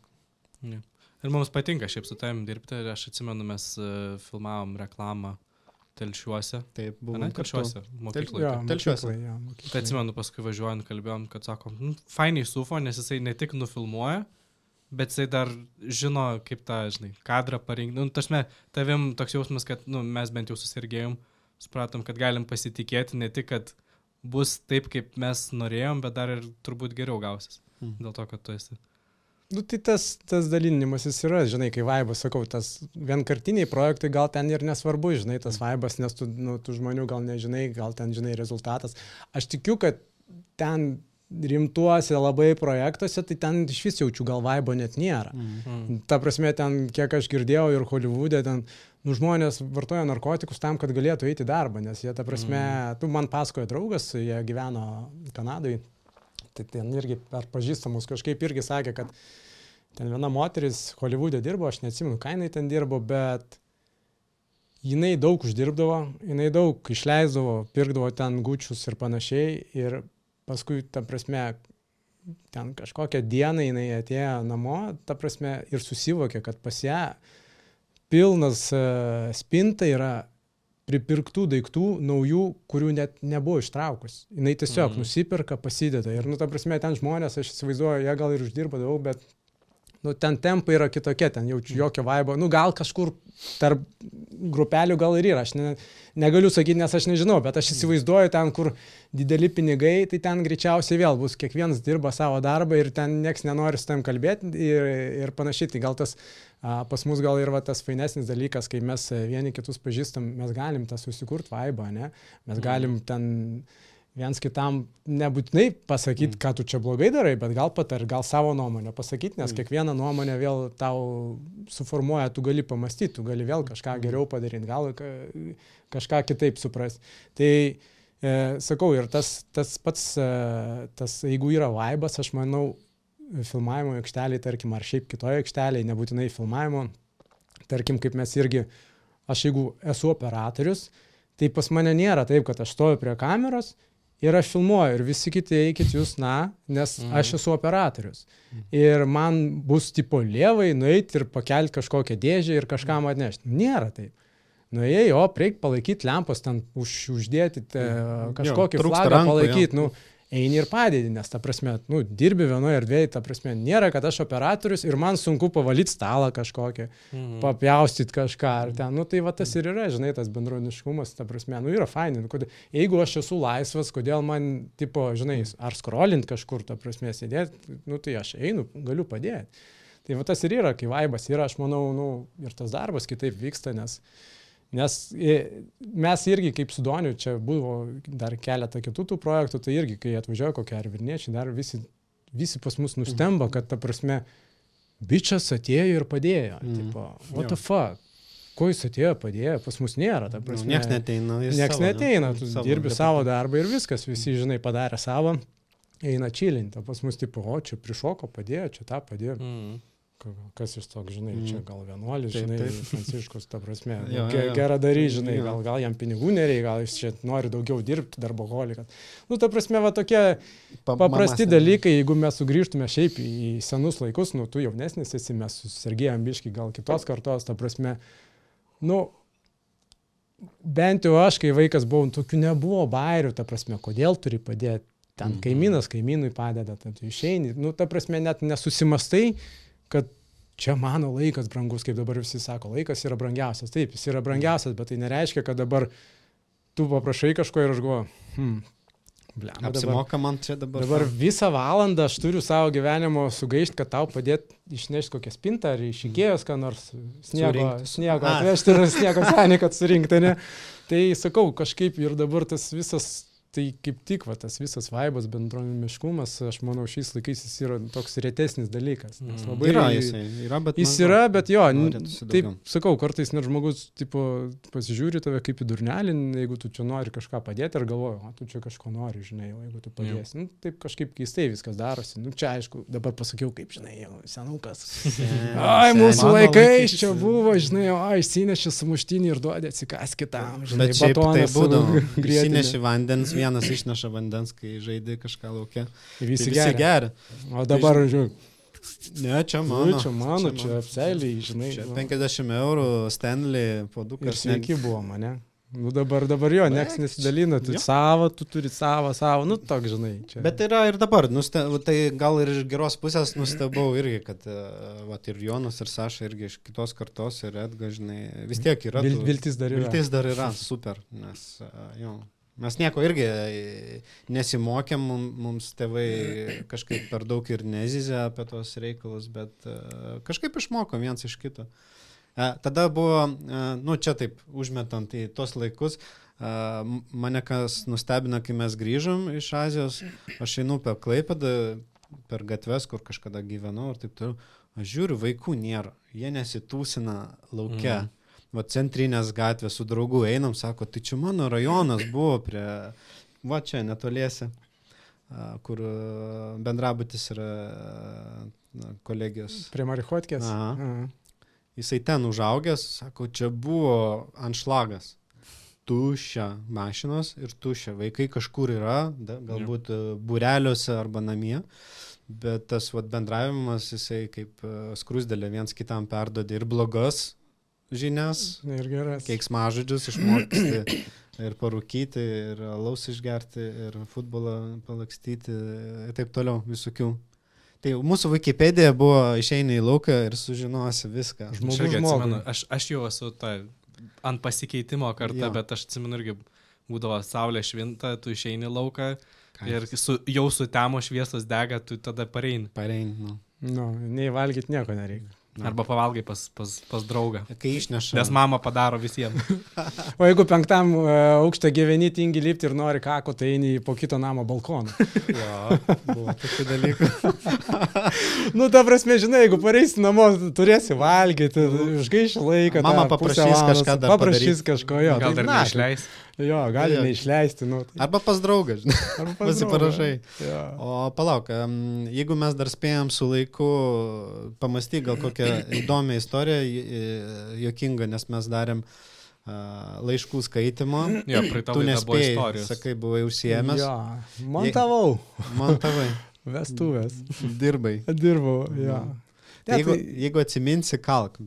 Yeah. Ir mums patinka šiaip su tavim dirbti, aš atsimenu, mes uh, filmavom reklamą Telšiuose. Taip, buvom ne, Telšiuose, mokykloje. Ja, Telšiuose. Ja, mokykloje. Tai atsimenu, paskui važiuojant kalbėjom, kad sakom, nu, fainiai su Ufo, nes jisai ne tik nufilmuoja, bet jisai dar žino, kaip tą, žinai, kadrą parinkti. Nu, tašme, tavim toks jausmas, kad nu, mes bent jau susirgėjom, supratom, kad galim pasitikėti, ne tik, kad bus taip, kaip mes norėjom, bet dar ir turbūt geriau gausis. Hmm. Dėl to, kad tu esi. Nu, tai tas, tas dalinimas jis yra, žinai, kai vaibas, sakau, tas vienkartiniai projektai gal ten ir nesvarbu, žinai, tas vaibas, nes tu, nu, tu žmonių gal nežinai, gal ten, žinai, rezultatas. Aš tikiu, kad ten rimtuose labai projektuose, tai ten iš vis jaučiu, gal vaibo net nėra. Mm. Ta prasme, ten, kiek aš girdėjau ir Holivude, ten, nu, žmonės vartoja narkotikus tam, kad galėtų eiti į darbą, nes jie, ta prasme, mm. tu man pasakoja draugas, jie gyveno Kanadoje. Tai ten irgi per pažįstamus kažkaip irgi sakė, kad ten viena moteris Holivude dirbo, aš neatsimenu, ką jinai ten dirbo, bet jinai daug uždirbdavo, jinai daug išleisdavo, pirkdavo ten gučius ir panašiai ir paskui, ta prasme, ten kažkokią dieną jinai atėjo namo, ta prasme, ir susivokė, kad pas ją pilnas uh, spinta yra pripirktų daiktų naujų, kurių net nebuvo ištraukus. Jinai tiesiog mm. nusipirka, pasideda. Ir, nu, ta prasme, ten žmonės, aš įsivaizduoju, jie gal ir uždirba daug, bet, nu, ten tempai yra kitokie, ten jaučiu jokio vaibo. Nu, gal kažkur tarp grupelių gal ir yra. Aš ne, negaliu sakyti, nes aš nežinau, bet aš įsivaizduoju ten, kur dideli pinigai, tai ten greičiausiai vėl bus. Kiekvienas dirba savo darbą ir ten nieks nenori su tam kalbėti ir, ir panašiai. Tai gal tas pas mus gal ir va, tas fainesnis dalykas, kai mes vieni kitus pažįstam, mes galim tą susikurti vaibą, ne? Mes galim ten viens kitam nebūtinai pasakyti, mm. ką tu čia blogai darai, bet gal patar, gal savo nuomonę pasakyti, nes mm. kiekvieną nuomonę vėl tau suformuoja, tu gali pamastyti, tu gali vėl kažką mm. geriau padaryti, gal kažką kitaip suprasti. Tai e, sakau, ir tas, tas pats, e, tas, jeigu yra vaibas, aš manau, filmavimo aikšteliai, tarkim, ar šiaip kitoje aikštelėje, nebūtinai filmavimo, tarkim, kaip mes irgi, aš jeigu esu operatorius, tai pas mane nėra taip, kad aš stoju prie kameros ir aš filmuoju ir visi kiti eikit jūs, na, nes mhm. aš esu operatorius. Ir man bus tipo lievai nueiti ir pakelti kažkokią dėžę ir kažkam atnešti. Nėra taip. Nuėjai, o reik palaikyti lempos, ten už, uždėti te, kažkokį jo, flagą rankų, palaikyti, nu, eini ir padėdi, nes ta prasme, nu, dirbi vienoje erdvėje, ta prasme, nėra, kad aš operatorius ir man sunku pavalyti stalą kažkokią, mhm. papjaustyti kažką ar ten, nu, tai va tas ir yra, žinai, tas bendruomeniškumas, ta prasme, nu, yra fainai, nu, kodėl, jeigu aš esu laisvas, kodėl man, tipo, žinai, ar skrolint kažkur, ta prasme, sėdėti, nu, tai aš einu, galiu padėti. Tai va tas ir yra, kai vaibas yra, aš manau, nu, ir tas darbas kitaip vyksta, nes Nes mes irgi kaip su Doniu, čia buvo dar keletą kitų tų projektų, tai irgi, kai atvažiuoja kokie ar Vilniečiai, dar visi, visi pas mus nustemba, kad ta prasme, bičas atėjo ir padėjo. Mm. Tipo, what the fuck? Ko jis atėjo, padėjo, pas mus nėra. Ta prasme, nieks neteina. Nieks savo, neteina, tu savo dirbi darbą. Savo darbą ir viskas, visi, žinai, padarė savo, eina čilinti. Pas mus, tipo, o čia prišoko, padėjo, čia tą padėjo. Mm. Kas iš toks, žinai, čia gal vienuolis, žinai, taip, taip. Pranciškus, ta prasme, jo, jo, gerą darį, žinai, gal, gal jam pinigų nereikia, gal jis čia nori daugiau dirbti, darboholikas. Nu, ta prasme, va tokie paprasti dalykai, jeigu mes sugrįžtume šiaip į senus laikus, nu, tu jaunesnis esi, mes susirgėjom biški gal kitos kartos, ta prasme, nu, bent jau aš, kai vaikas buvau, tokių nebuvo bairių, ta prasme, kodėl turi padėti, ten kaimynas kaimynui padeda, tai tu išeini, nu, ta prasme, net nesusimastai, kad čia mano laikas brangus, kaip dabar visi sako, laikas yra brangiausias. Taip, jis yra brangiausias, bet tai nereiškia, kad dabar tu paprašai kažko ir aš galvoju, hmm, blem, apsimoka man čia dabar. Dabar visą valandą aš turiu savo gyvenimo sugaišti, kad tau padėti išnešti kokią spintą ar iš Ikėjos, ką nors sniego, sniego atvežti ir sniego senį, kad surinkti, ne? Tai sakau, kažkaip ir dabar tas visas tai kaip tik va, tas visas vaibas, bendruomeniškumas, aš manau, šiais laikais jis yra toks retesnis dalykas. Nes labai yra jisai, yra, bet... Jis yra, bet jo, taip sakau, kartais net žmogus tipo, pasižiūri tave kaip į durnelį, jeigu tu čia nori kažką padėti ir galvoju, o tu čia kažko nori, žinai, jeigu tu padėsi. Nu, taip kažkaip keistai viskas darosi. Nu, čia aišku, dabar pasakiau, kaip, žinai, jau senukas. Ai, mūsų laikais čia buvo, žinai, o išsinešė sumuštinį ir duodė atsikas kitam. Žinai, bet šiaip tai būdavo, išsinešė vandens, vienas išneša vandens, kai žaidė kažką laukia. Visi, visi geria. O dabar, žiūrėk. Ne, čia mano. Čia mano, čia, čia apseiliai, žinai. Čia penkiasdešimt eurų Stanley puodukas. Ir sveiki buvo mane. Nu dabar, dabar jo, nieks nesidalina, tu savo, tu turi savo, savo, nu toks, žinai. Čia. Bet yra ir dabar, nuste, tai gal ir iš geros pusės nustebau irgi, kad va, ir Jonas, ir Saša irgi iš kitos kartos, ir Edga, žinai, vis tiek yra. Vil, viltis dar yra. Viltis dar yra, super, nes jo. Mes nieko irgi nesimokėm, mums tėvai kažkaip per daug ir nezizė apie tos reikalus, bet kažkaip išmokom viens iš kito. Tada buvo, nu čia taip, užmetant į tos laikus, mane kas nustebino, kai mes grįžom iš Azijos, aš einu per Klaipėdą, per gatves, kur kažkada gyvenau ir taip toliau, aš žiūriu, vaikų nėra, jie nesitūsina lauke. Mm. Va centrinės gatvės su draugu einam, sako, tai čia mano rajonas buvo prie, va čia netoliese, kur bendrabutis yra kolegijos. Prie Marichotkės? Aha. Aha. Jisai ten užaugęs, sako, čia buvo anšlagas. Tuščia mašinos ir tuščia. Vaikai kažkur yra, da, galbūt būreliuose arba namie. Bet tas vat, bendravimas, jisai kaip skrusdėlė viens kitam perdodė ir blogas žinias, ir keiksmažodžius išmokti ir parūkyti, ir alaus išgerti, ir futbolą palakstyti ir taip toliau, visokių. Tai mūsų Wikipedija buvo išeini į lauką ir sužinosi viską. Žmogus žmogui. Aš, aš jau esu ta, ant pasikeitimo kartą, Jo. bet aš atsimenu irgi būdavo saulė švinta, tu išeini į lauką ir su, jau su temo šviesos dega, tu tada pareini. Pareini, nu. Nu, nei valgyti nieko nereikia. Na. Arba pavalgai pas, pas, pas draugą. Kai išneša. Nes mama padaro visiems. O jeigu penktam uh, aukštą gyveni, tingi lipti ir nori kako, tai eini po kito namo balkoną. Jo, buvo tokių dalykų. Nu, ta prasme, žinai, jeigu pareisi namo, turėsi valgyti, išgaiši laiką. Mama paprašys kažką dar paprašys padaryt. kažko, jo. Gal tai dar na, neišleis. Jo, gali Jo. neišleisti. Nu, tai. Arba pas draugą, žinai. Arba pas Pasiparašai. draugą. Jo. O palauk, em, jeigu mes dar spėjom su laiku pamastyti gal kokią tokią įdomią istoriją, juokingą, nes mes darėm uh, laiškų skaitimo. Jo, praeitą Tu laidą buvo nespėjai, istorijos. sakai, buvai užsiėmęs. Jo, montavau. Montavai. Vestuvės. Dirbai. Dirbau, jo. Tai Ne, jeigu, tai- jeigu atsiminsi, kalk.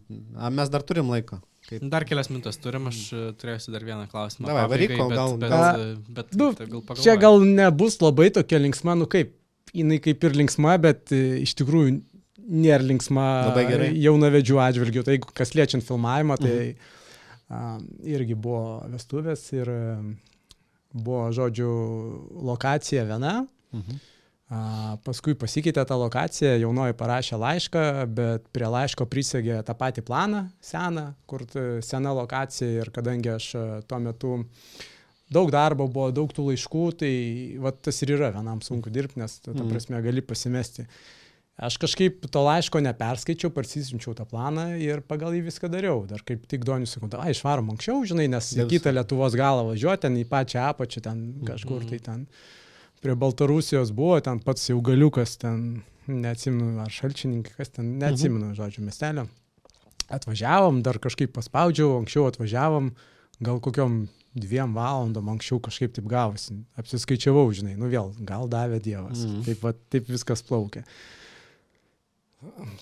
A, mes dar turim laiko. Kaip... Dar kelias minutės turim, aš e, turėsiu dar vieną klausimą. Davai, pabaigai, varyk, kol bet- gal- Bet, gal- bet, bet, Nu, tai gal pagalvoju. Čia gal nebus labai tokia linksma, nu kaip, jinai kaip ir linksma, bet e, iš tikrųjų nėra linksma Labai gerai. jaunavedžių atžvilgių. Tai jeigu kas liečiant filmavimą, tai a, irgi buvo vestuvės ir e, buvo, žodžiu, lokacija viena. Mhm. A, paskui pasikeitė tą lokaciją, jaunoji parašė laišką, bet prie laiško prisegė tą patį planą seną, kur t- sena lokacija ir kadangi aš a, tuo metu daug darbo buvo, daug tų laiškų, tai va, tas ir yra vienam sunku dirbti, nes ta, ta Mhm. prasme gali pasimesti. Aš kažkaip to laiško neperskaičiau, parsisinčiau tą planą ir pagal jį viską dariau. Dar kaip tik Donius sakau, ai, išvarom anksčiau, žinai, nes į Dėl- kitą Lietuvos galą važiuoti, ten į pačią apačią, ten kažkur tai ten. Prie Baltarusijos buvo, ten pats jau galiukas, ten, neatsimenu, ar šalčininkai, kas ten, neatsimenu, žodžiu, miestelio. Atvažiavom, dar kažkaip paspaudžiau, anksčiau atvažiavom, gal kokiom dviem valandom anksčiau kažkaip taip gavosi. Apsiskaičiavau, žinai, nu vėl, gal davė Dievas. Mhm. Taip, va, taip viskas plaukė.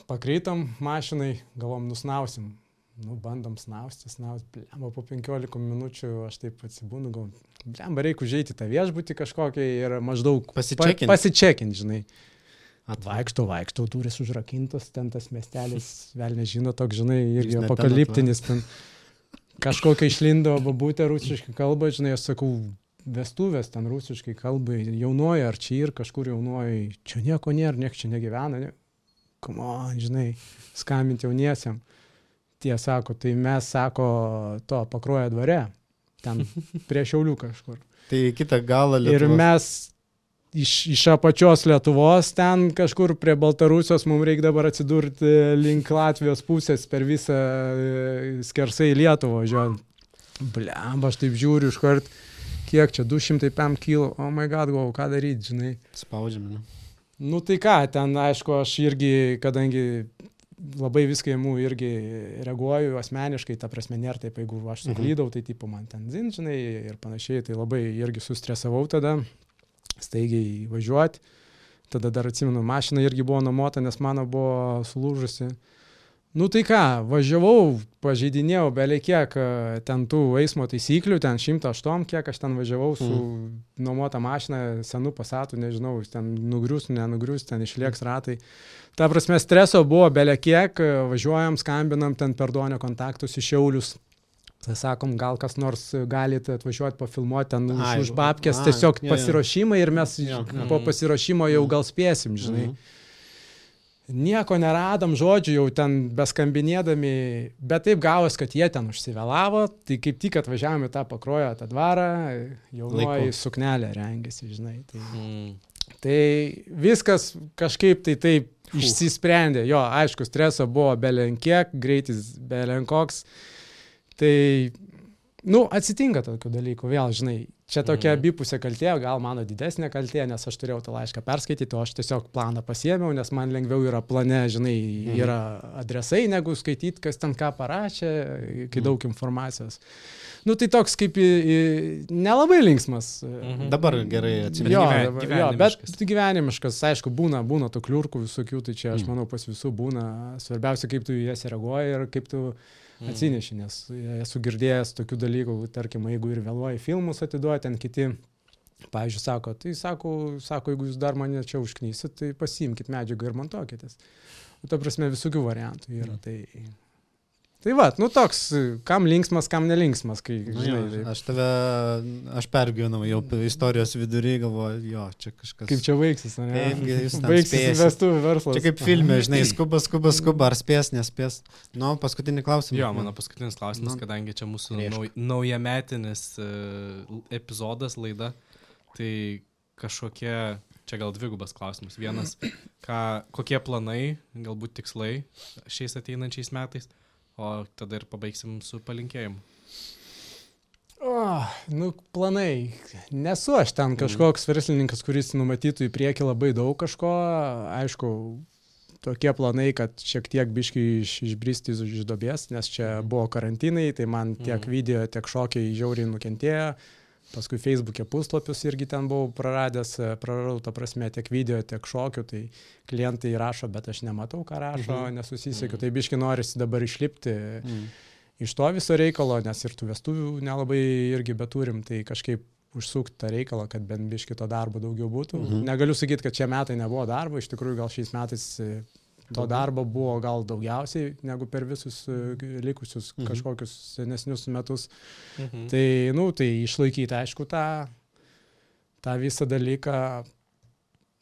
Pakreitam mašinai, galvom, nusnausim. Nu, bandom snausti, snausti, blemba, po penkiolika minučių aš taip atsibūnu, gal, blemba, reikia užeiti tą viešbutį kažkokią ir maždaug Pasičekint. pa, pasičekint, žinai. Atva. Vaikšto, vaikšto, durys užrakintos, ten tas miestelis, vėl nežino, toks, žinai, irgi Jis ne ten apokaliptinis, ten kažkokia išlindo babutė rusiškai kalba, žinai, aš sakau, vestuvės ten rusiškai kalbai, jaunoji ar čia ir kažkur jaunoji, čia nieko nėra, niek čia negyvena, ne... come on, žinai, skambinti jauniesiam. Tie sako, tai mes, sako, to Pakruojo dvare, ten prie Šiaulių kažkur. Tai į kitą galą Ir Lietuvos. mes iš, iš apačios Lietuvos ten kažkur prie Baltarusijos mums reikia dabar atsidurti link Latvijos pusės per visą e, skersai Lietuvą važiuojant. Blemba, aš taip žiūriu iš kart, kiek čia, du šimtai penki kilo, o oh my god, galvoju, ką daryti, žinai. Spaudžiame. Ne? Nu tai ką, ten aišku, aš irgi, kadangi labai viską įmu irgi reaguoju asmeniškai, ta prasme nėra taip, jeigu aš suklydau, tai tipo man ten zin, žinai, ir panašiai, tai labai irgi sustresavau tada, staigiai važiuoti. Tada dar atsimenu, mašina irgi buvo nuomota, nes mano buvo sulūžusi. Nu tai ką, važiavau, pažeidinėjau beveik kiek e, ten tų eismo taisyklių, ten šimtas aštuoni, kiek aš ten važiavau su mm. nuomota mašina, senu Passatu, nežinau, ten nugrius, nenugrius, ten išlieks ratai. Ta prasme, streso buvo beveik kiek, e, važiuojam, skambinam ten per Donio kontaktus į Šiaulius. Tai sakom, gal kas nors galite atvažiuoti, pafilmuoti ten Ai, už, už babkės, ai, tiesiog jo, jo. pasiruošimą ir mes Jo, jo. po pasiruošimo jau gal spėsim, žinai. Mhm. Nieko neradom, žodžiu, jau ten beskambinėdami, bet taip gavos, kad jie ten užsivėlavo, tai kaip tik atvažiavome tą Pakruojo, tą dvarą, jaunoji Laiku. suknelė rengėsi, žinai. Tai, Mm. tai viskas kažkaip tai taip išsisprendė. Jo, aišku, streso buvo belenkiek, greitis belenkoks. Tai, nu, atsitinka tokių dalykų, vėl, žinai, čia tokia Mhm. abipusė kaltė, gal mano didesnė kaltė, nes aš turėjau tą laišką perskaityti, o aš tiesiog planą pasiėmiau, nes man lengviau yra plane, žinai, Mhm. yra adresai, negu skaityti, kas ten ką parašė, kai daug informacijos. Nu, tai toks kaip į, į, nelabai linksmas. Mhm. Dabar gerai atsimenu. Jo, gyven- dabar- jo, bet gyvenimiškas. gyvenimiškas, aišku, būna, būna tų kliurkų visokių, tai čia aš Mm. manau pas visų būna. Svarbiausia, kaip tu į jas reaguoji ir kaip tu Mm. atsineši, nes esu girdėjęs tokių dalykų, tarkim, jeigu ir vėluoji filmus atiduoti, ten kiti, pavyzdžiui, sako, tai sako, sako, jeigu jūs dar mane čia užknysit, tai pasiimkit medžiagą ir montuokitės. Nu, ta prasme, visokių variantų yra. Mm. Tai, tai va, nu toks, kam linksmas, kam nelinksmas, kai, Nu, žinai, jo, taip, aš tave, aš pergyvenau jau istorijos vidury, galvoju, jo, čia kažkas. kaip čia baigsis, ne? Kaipgi jūs ten Baigsis spėsit. vestuvių verslas. Čia kaip filme, žinai, skuba, skuba, skuba, ar spės, nespės. Nu, paskutinį klausimą. Jo, mano paskutinis klausimas, Nu, kadangi čia mūsų rėžk. nauj, naujametinis uh, epizodas, laida, tai kažkokie, čia gal dvigubas klausimas. Vienas, ką, kokie planai, galbūt tikslai šiais ateinančiais metais, o tada ir pabaigsim su palinkėjimu. O, nu, planai. Nesu aš ten kažkoks verslininkas, kuris numatytų į priekį labai daug kažko. Aišku, tokie planai, kad šiek tiek biškai iš, išbristi iš duobės, nes čia buvo karantinai, tai man tiek Mhm. video, tiek šokiai žiauriai nukentėjo. Paskui Facebook'e puslapius irgi ten buvau praradęs, praradau, ta prasme, tiek video, tiek šokių, tai klientai rašo, bet aš nematau, ką rašo, Mhm. nesusisiekiu. Mhm. Tai biškai norisi dabar išlipti Mm. iš to viso reikalo, nes ir tų vestuvių nelabai irgi beturim, tai kažkaip užsukti tą reikalą, kad bent biškai to darbo daugiau būtų. Mhm. Negaliu sakyti, kad šie metai nebuvo darbo, iš tikrųjų gal šiais metais e, to Daugiau. darbo buvo gal daugiausiai negu per visus e, likusius Mhm. kažkokius senesnius metus. Mhm. Tai, nu, tai išlaikyti, aišku, tą, tą visą dalyką.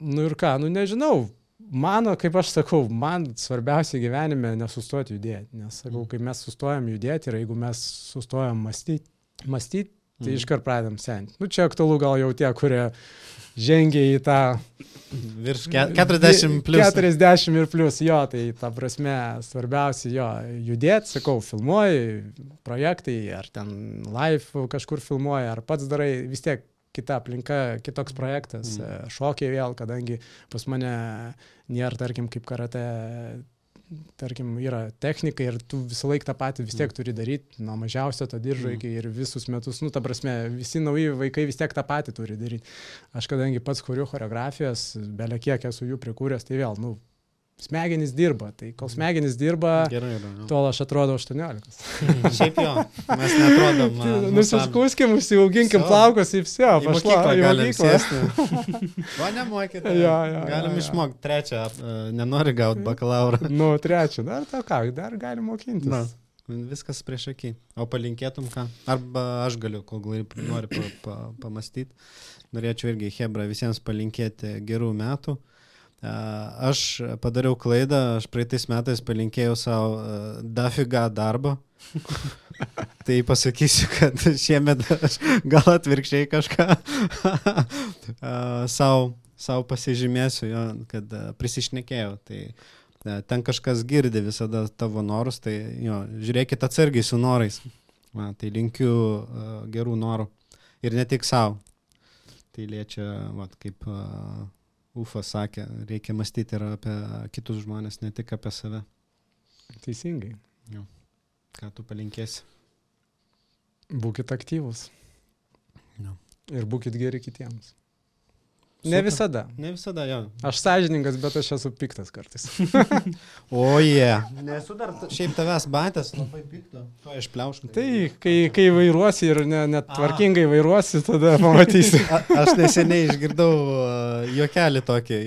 Nu ir ką, nu nežinau. Mano, kaip aš sakau, man svarbiausia gyvenime nesustoti judėti. Nes, sakau, kai mes sustojam judėti ir jeigu mes sustojam mąstyti, mąstyti tai Mhm. iškart pradedam senti. Nu, čia aktualu gal jau tie, kurie žengia į tą Virš ke- keturiasdešimt plius. keturiasdešimt ir plus, jo, tai ta prasme svarbiausia jo judėti, sakau, filmuoji projektai, ar ten live kažkur filmuoji, ar pats darai, vis tiek kita aplinka, kitoks projektas, Mm. šokiai vėl, kadangi pas mane nėra, tarkim, kaip karate, tarkim, yra technika ir tu visą laiką tą patį vis tiek turi daryti, nuo mažiausio to diržo Mm. iki ir visus metus, nu, ta prasme, visi nauji vaikai vis tiek tą patį turi daryti. Aš kadangi pats kuriu choreografijas, belia kiek esu jų prikūręs, tai vėl, nu, smegenys dirba, tai kol smegenys dirba, Gerai, yra. jo. tol aš atrodo aštuoniolikos. Šiaip jo, mes netrodom. a, nuostabiai. Nusiskuskim, užsiauginkim Vso. plaukus ir vse, Į mokyklą galim mokyklą. sėsti. O nemokyti. Jo, jo, Galim jo, jo. išmokti trečią, a, nenori gauti bakalaurą. Nu, trečią, dar to ką, dar galim mokintis. Na, viskas prieš akį. O palinkėtum ką? Arba aš galiu, kol gali- nori pa, pa, pamastyti. Norėčiau irgi Hebra visiems palinkėti gerų metų. A, Aš padariau klaidą, aš praeitais metais palinkėjau savo a, dafiga darbo. Tai pasakysiu, kad šiemet aš gal atvirkščiai kažką a, savo, savo pasižymėsiu, jo, kad a, prisišnekėjau. Tai a, ten kažkas girdi visada tavo norus, tai jo, žiūrėkit atsargiai su norais. Va, tai linkiu a, gerų norų. Ir ne tik savo. Tai liečia, va, kaip a, Ufas sakė, reikia mąstyti ir apie kitus žmonės, ne tik apie save. Teisingai. Ką tu palinkėsi? Būkit aktyvus. Jo. Ir būkit geri kitiems. Super. Ne visada. Ne visada, jo. Aš sąžiningas, bet aš esu piktas kartais. O jie. Yeah. Nesu dar t- šiaip tavęs batęs, labai pikto. To išpliauškai. Tai kai, kai vairuosi ir ne- net tvarkingai vairuosi, tada pamatysi. A, aš neseniai išgirdau uh, juokelį tokį.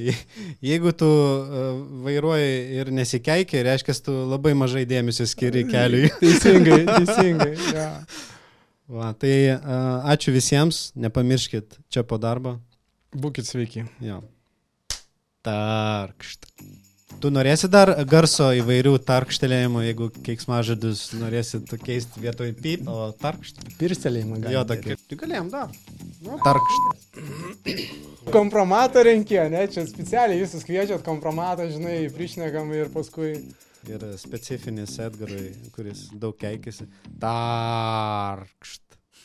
Jeigu tu uh, vairuoji ir nesikeikia, reiškia, tu labai mažai dėmesio skiri keliui. Teisingai, teisingai. Ja. Va, tai uh, ačiū visiems, nepamirškit čia po darbo. Būkit sveiki. Jo. Tarkšt. Tu norėsi dar garso įvairių tarkštelėjimų, jeigu keiksmažodžius norėsit keisti vietoj pip, o tarkšt. Pirstelėjimą gali. Jo, tokį. Tu galėjom dar. Nu, tarkšt. Kompromatą renkė, ne? Čia specialiai visus kviečiat kompromatą, žinai, prišnekam ir paskui... Ir specifinis Edgarui, kuris daug keikėsi. Tarkšt.